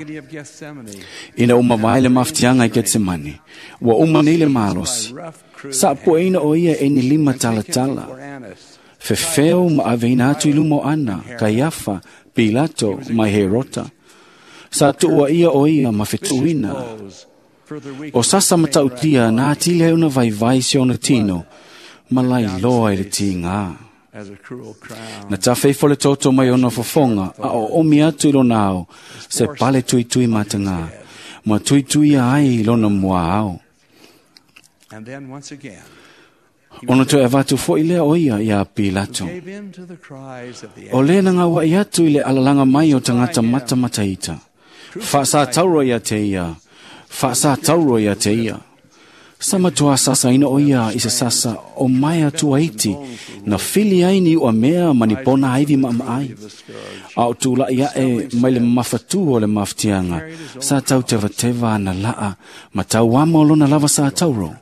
Ina uma vae le mafatiaga i Ketsemane, ua uma nei le malosi. Sa pueina o ia e ni lima talatala, fefeo ma aveina atu i luma o Ana, Kaiafa, Pilato ma Herota. Sa tuua ia o ia ma fetuuina. O sasa matautia na atili ai ona vaivai si ona tino, ma lailoa i le tigā. Na tafeifo le toto mai ona fofoga, a o omi atu i lona ao, se pale tuitui matagā, ma tuituia ai i lona muaao. Ona toe avatu fo'i lea o ia iā Pilato. O lē na gaua'i atu i le alalaga mai o tagata matamataita. Faasātauro ia te ia, faasātauro ia te ia. Sa matuā sasaina o ia i se sasa o mai atua iti, na fili ai ni ua mea ma ni pona aivi maamaai. A o tula'i a'e mai le mafatū o le mafatiaga, sa tautevateva ana la'a ma tauama o lona lava sātauro.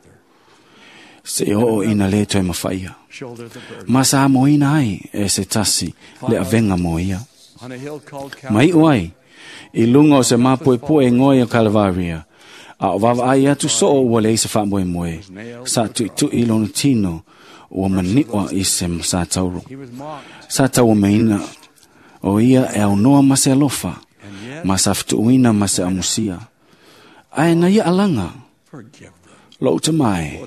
Se oo ina lē toe mafaia. Ma sa amoina ai e se tasi le avega mo ia. Ma iʻu ai, i luga o se mapuepue goe o Kalevaria, a o vavaai atu soo ua leai se faamoemoe, sa tuʻituʻi lona tino ua maniʻoa i se satauro. Sa tauameina o ia e aunoa ma se alofa, ma sa fetuʻuina ma se amusia. Ae na ia alaga, lou tamae,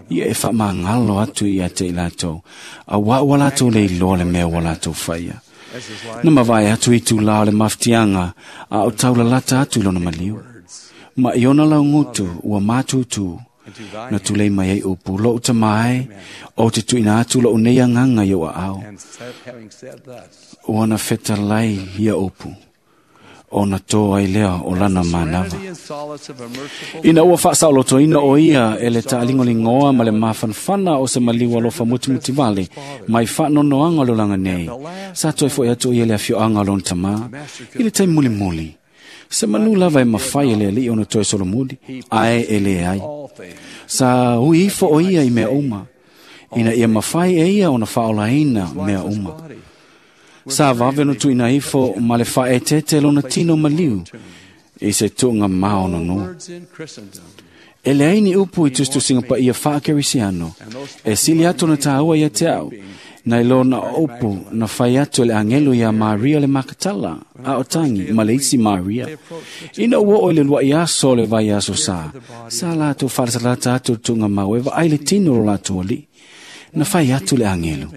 ia e faamagalo atu ia te i latou, auā ua latou le iloa le mea ua latou faia. Na mavae atu i tulā o le mafatiaga, a o taulalata atu i lona maliu. Ma i ona laugutu ua matūtū, na tulei mai ai upu, lou tamae, o te tuuina atu lou nei agaga i ou aao. Ua na fetalai ia upu, ona tō ai lea o lana manava. Ina ua faasaolotoina o ia e le taaligoligoa ma le mafanafana o se maliu alofa mutimutivale mai faanonoaga o le olaga nei, sa toe foʻi atu ia le afioaga o lona tamā i le taimi mulimuli. Se manu lava e mafai e le alii ona toe solomuli, ae e lē ai. Sa ui ifo o ia i mea uma, ina ia mafai e ia ona faaolaina mea uma. Sa vave ona tuuina ifo ma le faaeteete lona tino maliu i se tuuga maononoa. E leai ni upu i tusitusiga paia faakerisiano, e sili atu ona tāua ia te au, na i lona upu na fai atu e le agelu iā Maria le Makatala, a o tagi ma le isi Maria. Ina ua oo i le luaʻi aso o le vaiaso sa, sa latou faalatalata atu le tuugamau e vaai le tino o lo latou alii. Na fai atu le agelu.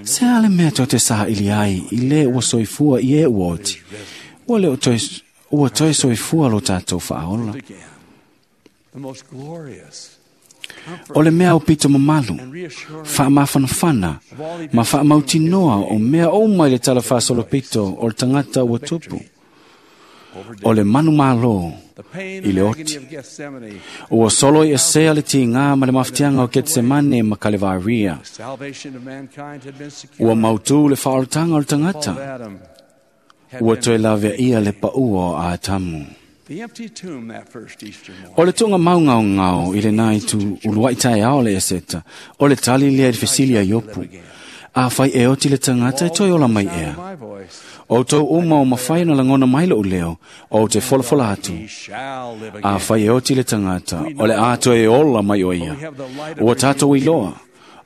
Se a le mea tou te saili ai i lē ua soifua i e ua oti, ua le o toe, ua toe soifua lo tatou faaola. O le mea aupito mamalu, faamafanafana ma faamautinoa o mea uma i le talafaasolopito o le tagata ua tupu. O le manu malo i le oti. Ua solo i esea le tigā ma le mafatiaga o Ketsemane ma Kalevaria. Ua mautū le faaolataga o le tagata. Ua toe laveaia le paʻua o Atamu. O le tuuga maugaogao i lenā itu uluai taeao le Eseta, o le tali lea i le fesili a Iopu. Afai e oti le tagata e toe ola mai ea. O outou uma o mafai ona lagona mai loʻu leo, ou te folafola atu. Afai e oti le tagata, o le a toe ola mai o ia. Ua tatou iloa,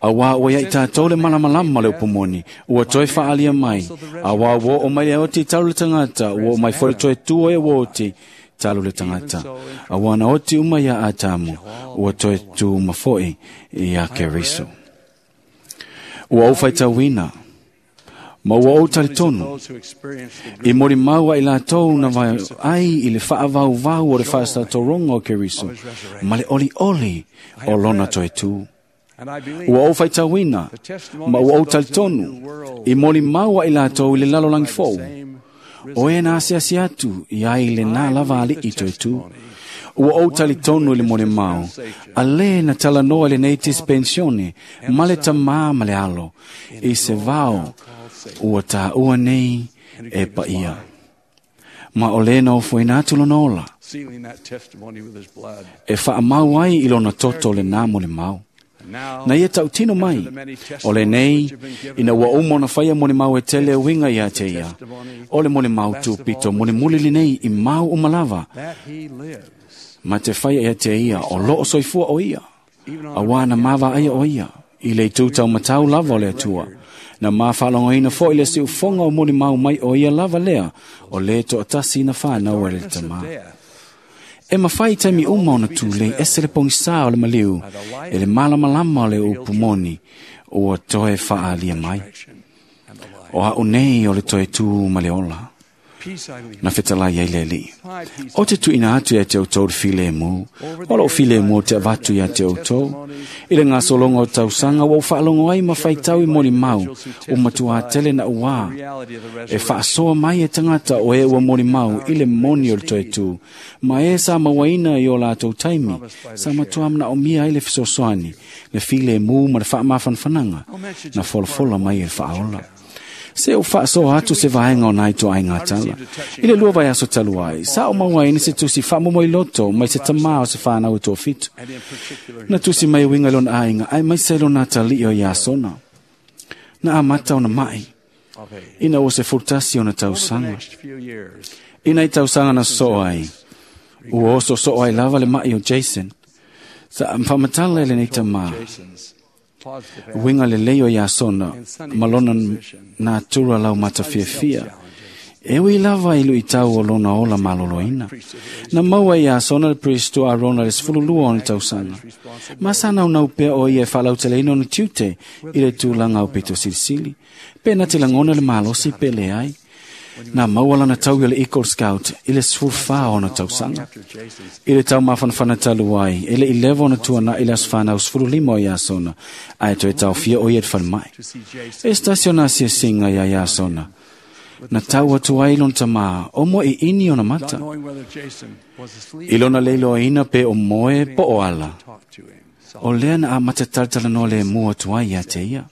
auā ua ia i tatou le malamalama le upu moni, ua toe faaalia mai, auā ua oo mai le oti talu le tagata, ua oo mai foi le toe tu o e ua oti talu le tagata. Auā na oti uma iā Atamu, ua toe tu uma foi iā Keriso. Ua ou faitauina, ma ua ou talitonu, i molimau ai latou na ai i le faavauvau o le faasatoroga o Keriso, ma le olioli o lona toe tu. Ua ou faitauina, ma ua ou talitonu, i molimau ai latou i le lalolagi fou. O e na asiasi atu i ai lenā lava aliʻi toe tu. Ua ou talitonu i le molimau, a lē na talanoa i lenei dispensione ma le tamā ma le alo, i se vao ua taua nei e paia. Ma o lē na ofoina atu lona ola, e faamau ai i lona toto lenā molimau. Na ia tautino mai, o lenei, ina ua uma ona faia molimau e tele uiga iā te ia, o le molimau tupito mulimuli lenei i mau uma lava, ma te faia ia te ia o loo soifua o ia, auā na mavaaia o ia, i le itu taumatau lava o le Atua. Na mafaalogoina foi le siufoga o molimau mai o ia lava lea, o lē toatasi na fanau e le Tamā. E mafai taimi uma ona tulei ese le pogisā o le maliu e le malamalama o le upu moni ua toe faaalia mai. O a'u nei o le toe tū ma le ola. Na fetalai ai le Alii. O te tuuina atu ia te outou le filemu, o lou filemu o te avatu ia te outou. I le gasologa o tausaga ua ou faalogo ai ma faitau i molimau ua matuā tele na uā. E faasoa mai e tagata o e ua molimau i le moni o le toe tū, ma e sa mauaina i o latou taimi, sa matuā manaomia ai le fesoasoani, le filemu ma le faamafanafanaga, na folafola mai e le faaola. Se ou faasoa atu se vaega o nai toaiga tala. I le lua vaiaso talu ai, sa o mauaina se tusi faamomoiloto mai se tamā o se fanau e toafitu. Na tusi mai uiga i lona aiga, ae maise lona atalii o Iasona. Na amata ona mai, ina ua 11 ona tausaga. Ina i tausaga na sosoo ai, ua oso ai lava le mai o Jason. Sa faamatala e lenei tamā, uiga lelei o Iasona ma lona natura laumatafiafia. E ui lava i luitau o lona ola maloloina. Na maua i Iasona le Pristo Arona le 12 ona tausaga. Ma sa naunau pea o ia e faalauteleina ona tiute i le tulaga o pito silisili. Pe na te lagona le malosi pe leai. Na maua lana tau i le Eagle Scout i le 14 ona tausaga. I le taumafanafana talu ai, e le i leva ona tuanaʻi le aso fanau 15 o Iasona, ae toe taofia o ia i le falemai. E se tasi ona asiasiga iā Iasona. Na tau atu ai lona tamā, o moe iini ona mata. I lona leiloaina pe o moe po o ala. O lea na amata talatalanoa lemu atu ai iā te ia.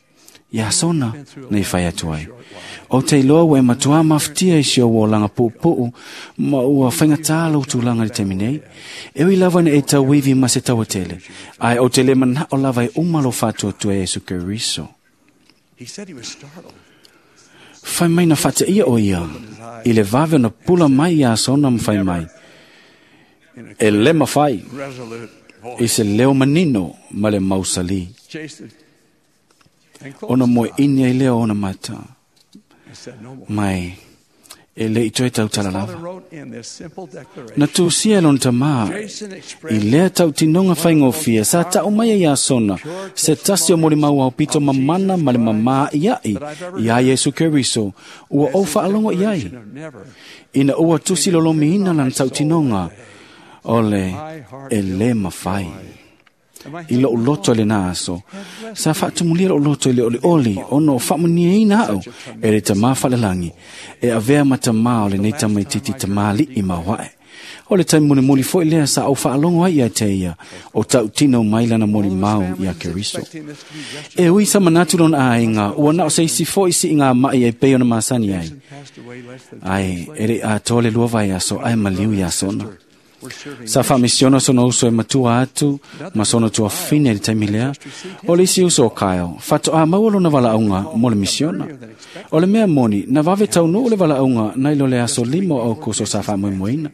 Iasona na i fai atu ai. O te iloa ua e matuā mafatia i si ou olaga puupuu ma ua faigatā lou tulaga i le taimi nei. E ui lava ina e tauivi ma se tauatele, ae ou te lē manaʻo lava e uma lou faatuatua e Iesu Keriso. Fai mai na faateia o ia, i le vave ona pula mai Iasona ma fai mai. E lē mafai, i se leo manino ma le mausalī. Ona moeʻini ai lea o ona mata, mai e le i toe tautala lava. Na tusia e lona tamā, i lea tautinoga faigofie sa taʻu mai ai Iasona, se tasi o molimau aopito mamana ma le mamā iaʻi iā Iesu Keriso, ua ou faalogo i ai. Ina ua tusi lolomiina lana tautinoga, o le e lē mafai. I lo'u loto i lenā aso, sa faatumulia lo'u loto i le olioli ona o faamanuiaina a'u e le Tamā faalelagi e avea ma tamā o lenei tamaititi tamāli'i maoaʻe. O le taimi mulimuli fo'i lea sa ou faalogo ai ia te ia o tautino mai lana molimau iā Keriso. E ui sa manatu lona aiga ua na o se isi fo'i siʻigā maʻi ai pei ona masani ai. Ae e leʻi atoa le 2 vaiaso ae maliu iā sona. Sa faamisiona sona uso e matua atu ma sona tuafine i le taimi lea. O le isi uso o Kyle, faatoā maua lona valaauga mo le misiona. O le mea moni, na vave taunuu le valaauga nai lo le aso 5 o Aukuso sa faamoemoeina.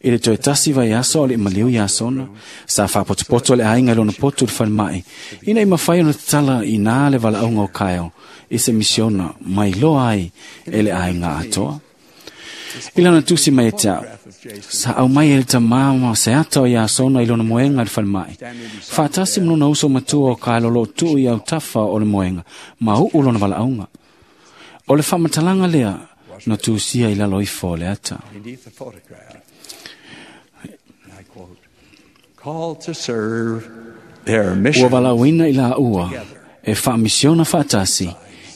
I le toe 1 vaiaso o le maliu iā sona, sa faapotopoto le aiga i lona potu i le falemai, ina i mafai ona tatala i nā le valaauga o Kyle i se misiona mai loa ai e le aiga atoa. I lana tusi mai e te a'u, sa aumai e le tamā ma se ata o iā sona i lona moega i le falemai. Faatasi ma lona uso matua o Kyle o loo tuu i autafa o le moega, ma uu lona valaauga. O le faamatalaga lea na tusia i lalo ifo o le ata. Ua valaauina i laua e faamisiona faatasi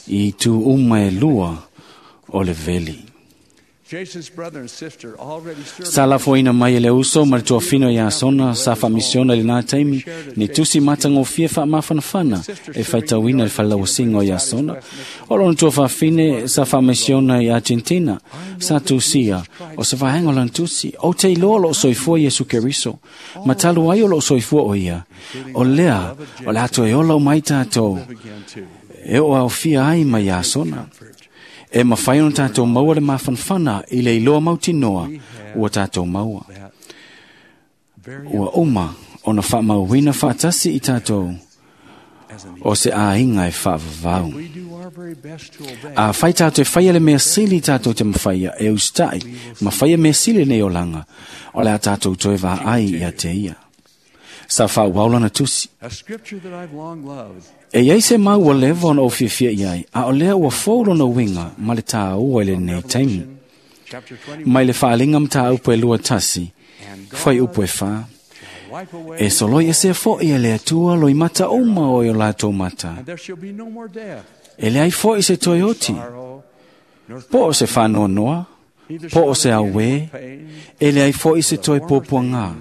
i itu uma e 2 o le veli. Sa lafoina mai e le uso ma le tuafino iā sona sa faamisiona i lenā taimi ni tusi matagofie faamafanafana e faitauina i le falelauasiga o iā sona. O lona tuafafine sa faamisiona i Argentina sa tusia o se vaega o lana tusi. Ou te iloa o loo soifua Iesu Keriso, ma talu ai o loo soifua o ia. O lea o le a toe ola uma ai tatou e oo aofia ai ma iā sona. E mawhai ona tātou maua le mafanafana i le iloa mautinoa ua tātou maua. Ua uma ona faamauina faatasi i tātou o se aiga e faavavau. A fai tātou e faia le mea sili tātou te mawhaia e usitaʻi ma faia mea sili nei olaga o le a tātou toe vaai ia te ia. Sa faauau lana tusi. E iai se mau ua leva ona ou fiafia i ai, a o lea ua fou lona uiga ma le tāua i lenei taimi. Mai le faaliga mataupu e 21, fuaiupu e 4. E soloi esea fo'i e le Atua loimata uma o i o latou mata. E leai fo'i se toe oti, po o se faanoanoa, po o se auē, e leai fo'i se toe puapuagā,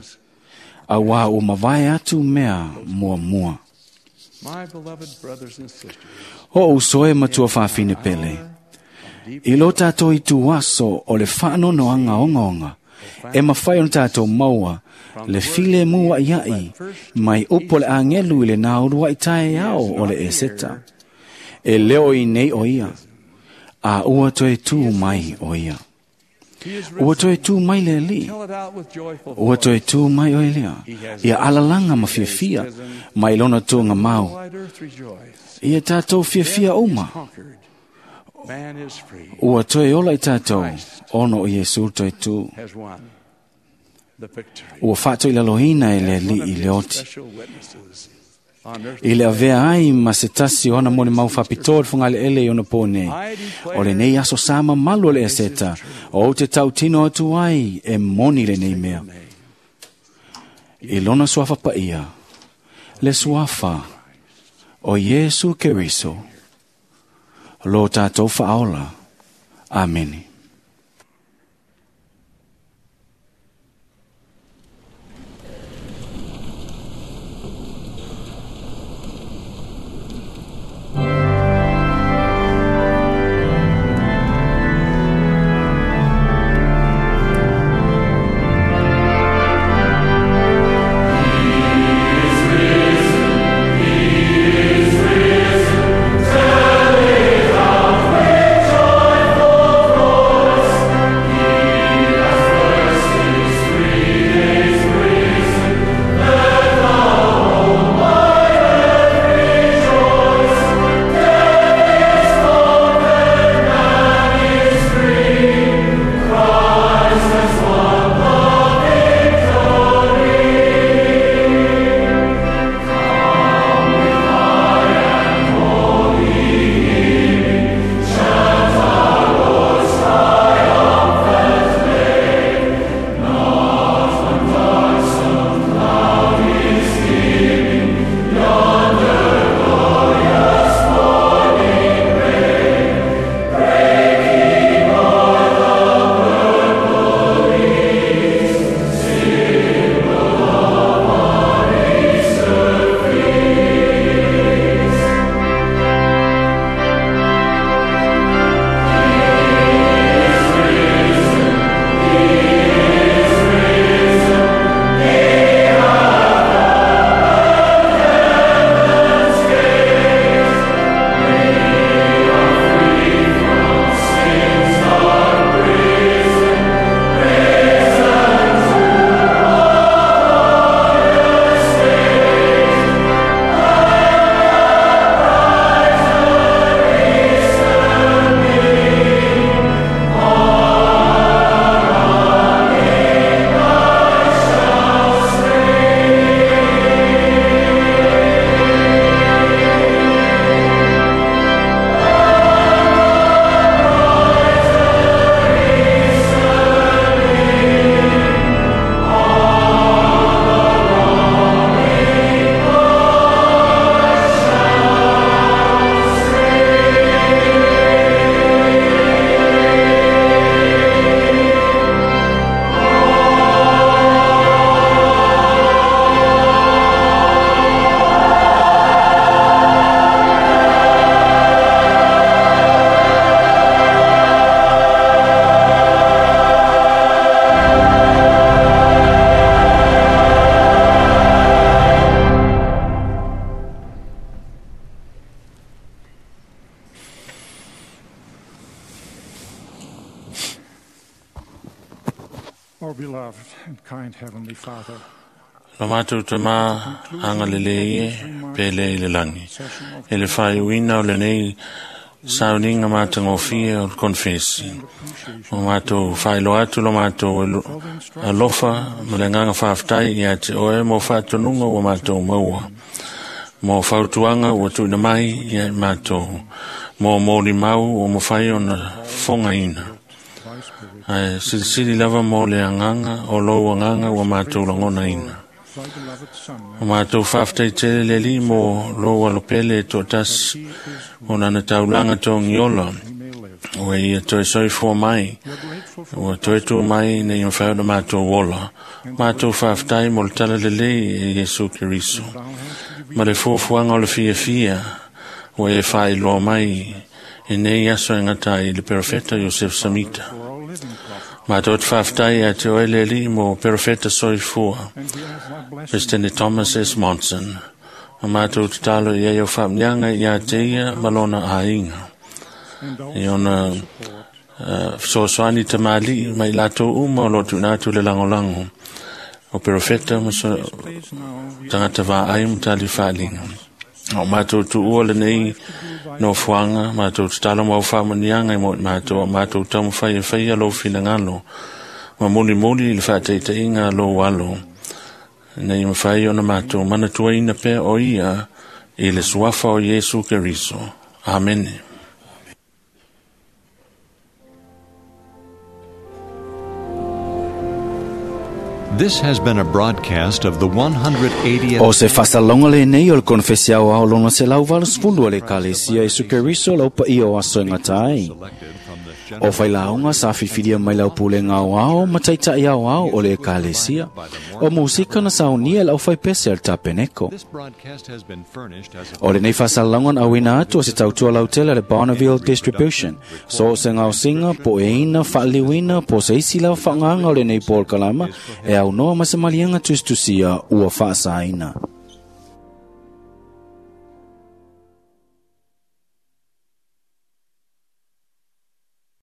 auā ua mavae atu mea muamua. O uso e matua faafine pele, i lo tātou i tu aso o le faanoanoaga ogaoga, e mafai ona tātou maua le file mu aʻiaʻi mai upu o le agelu i le nāuluaʻi taeao o le Eseta. E leo i nei o ia, a ua toe tū mai o ia. Ua toe tū mai le alii, ua toe tū mai o lea, ia alalaga ma fiafia mai lona tuaga mau. Ia tātou fiafia uma, ua toe ola i tātou, ona o Iesu toe tū. Ua faatoilaloina e le alii i le oti. I le avea ai ma se tasi o ana molimau faapitoa le fogaleele i ona pō nei. O lenei aso sa mamalu o le Eseta, o ou te tautino atu ai e moni lenei mea. I lona suafa paia, le suafa o Iesu Keriso, lo tātou faaola. Amene. He is risen, he is risen, tell it out with joyful Our beloved and kind Heavenly Father, Lo mātou tamā anga lele ie, pele i le langi. E le whaiuina o le nei sauninga mātangofia o le konfesi. O mātou whailo atu lo mātou alofa ma le nganga whaaftai i ate oe mo whaatonunga o mātou maua. Mo whautuanga ua tuina mai i ai mātou. Mo mōri mau o mo whai o na whonga ina. Ai silisili lava mo le anganga o lou anganga ua mātou langona ina. O mātou whaaftai tele le li mo lou alopele e tō tasi o nana taulanga tō ngiola. Ua ia toe soifua mai, ua toe tū mai nei o whaona mātou ola. Mātou whaaftai mo le tala lelei e Iesu Keriso. Ma le fuafuaga o le fiafia, ua e faailoa mai e nei aso e gata ai le perofeta Iosef Samita. Mātou te whaaftai a te oe le alii mo perofeta soifua, President Thomas S. Monson. Ma mātou tatalo i ai o faamniaga ia te ia ma lona aiga. I ona fesoasoani tamalii ma i latou uma o loo tuuina atu le lagolago o perofeta ma tagata vaai ma tali faaliga. O mātou tuua lenei nofoaga, mātou tatalo ma au faamanuiaga i mo i mātou, o mātou taumafai e faia lou finagalo, ma mulimuli i le faataitaiga a lou alo, ina ia mafai ona mātou manatuaina pea o ia i le suafa o Iesu Keriso. Amene. This has been a broadcast of the 180th O se faasalauga lenei o le konefesi aoao lona 180 a le Ekalesia Iesu Keriso lau paia o aso e gata ai. O failauga sa filifilia mai lau pulega aoao ma taitaʻi aoao o le Ekalesia. O musika na saunia e le aufaipese a le tapeneko. Broadcast has been furnished as a O lenei faasalauga na auina atu o se tautua lautele a le Bonneville Distribution. So o se gaosiga po o eina faaliliuina po o se isi lava faagaga o lenei polokalama e aunoa ma se maliega tusitusia ua faasaina.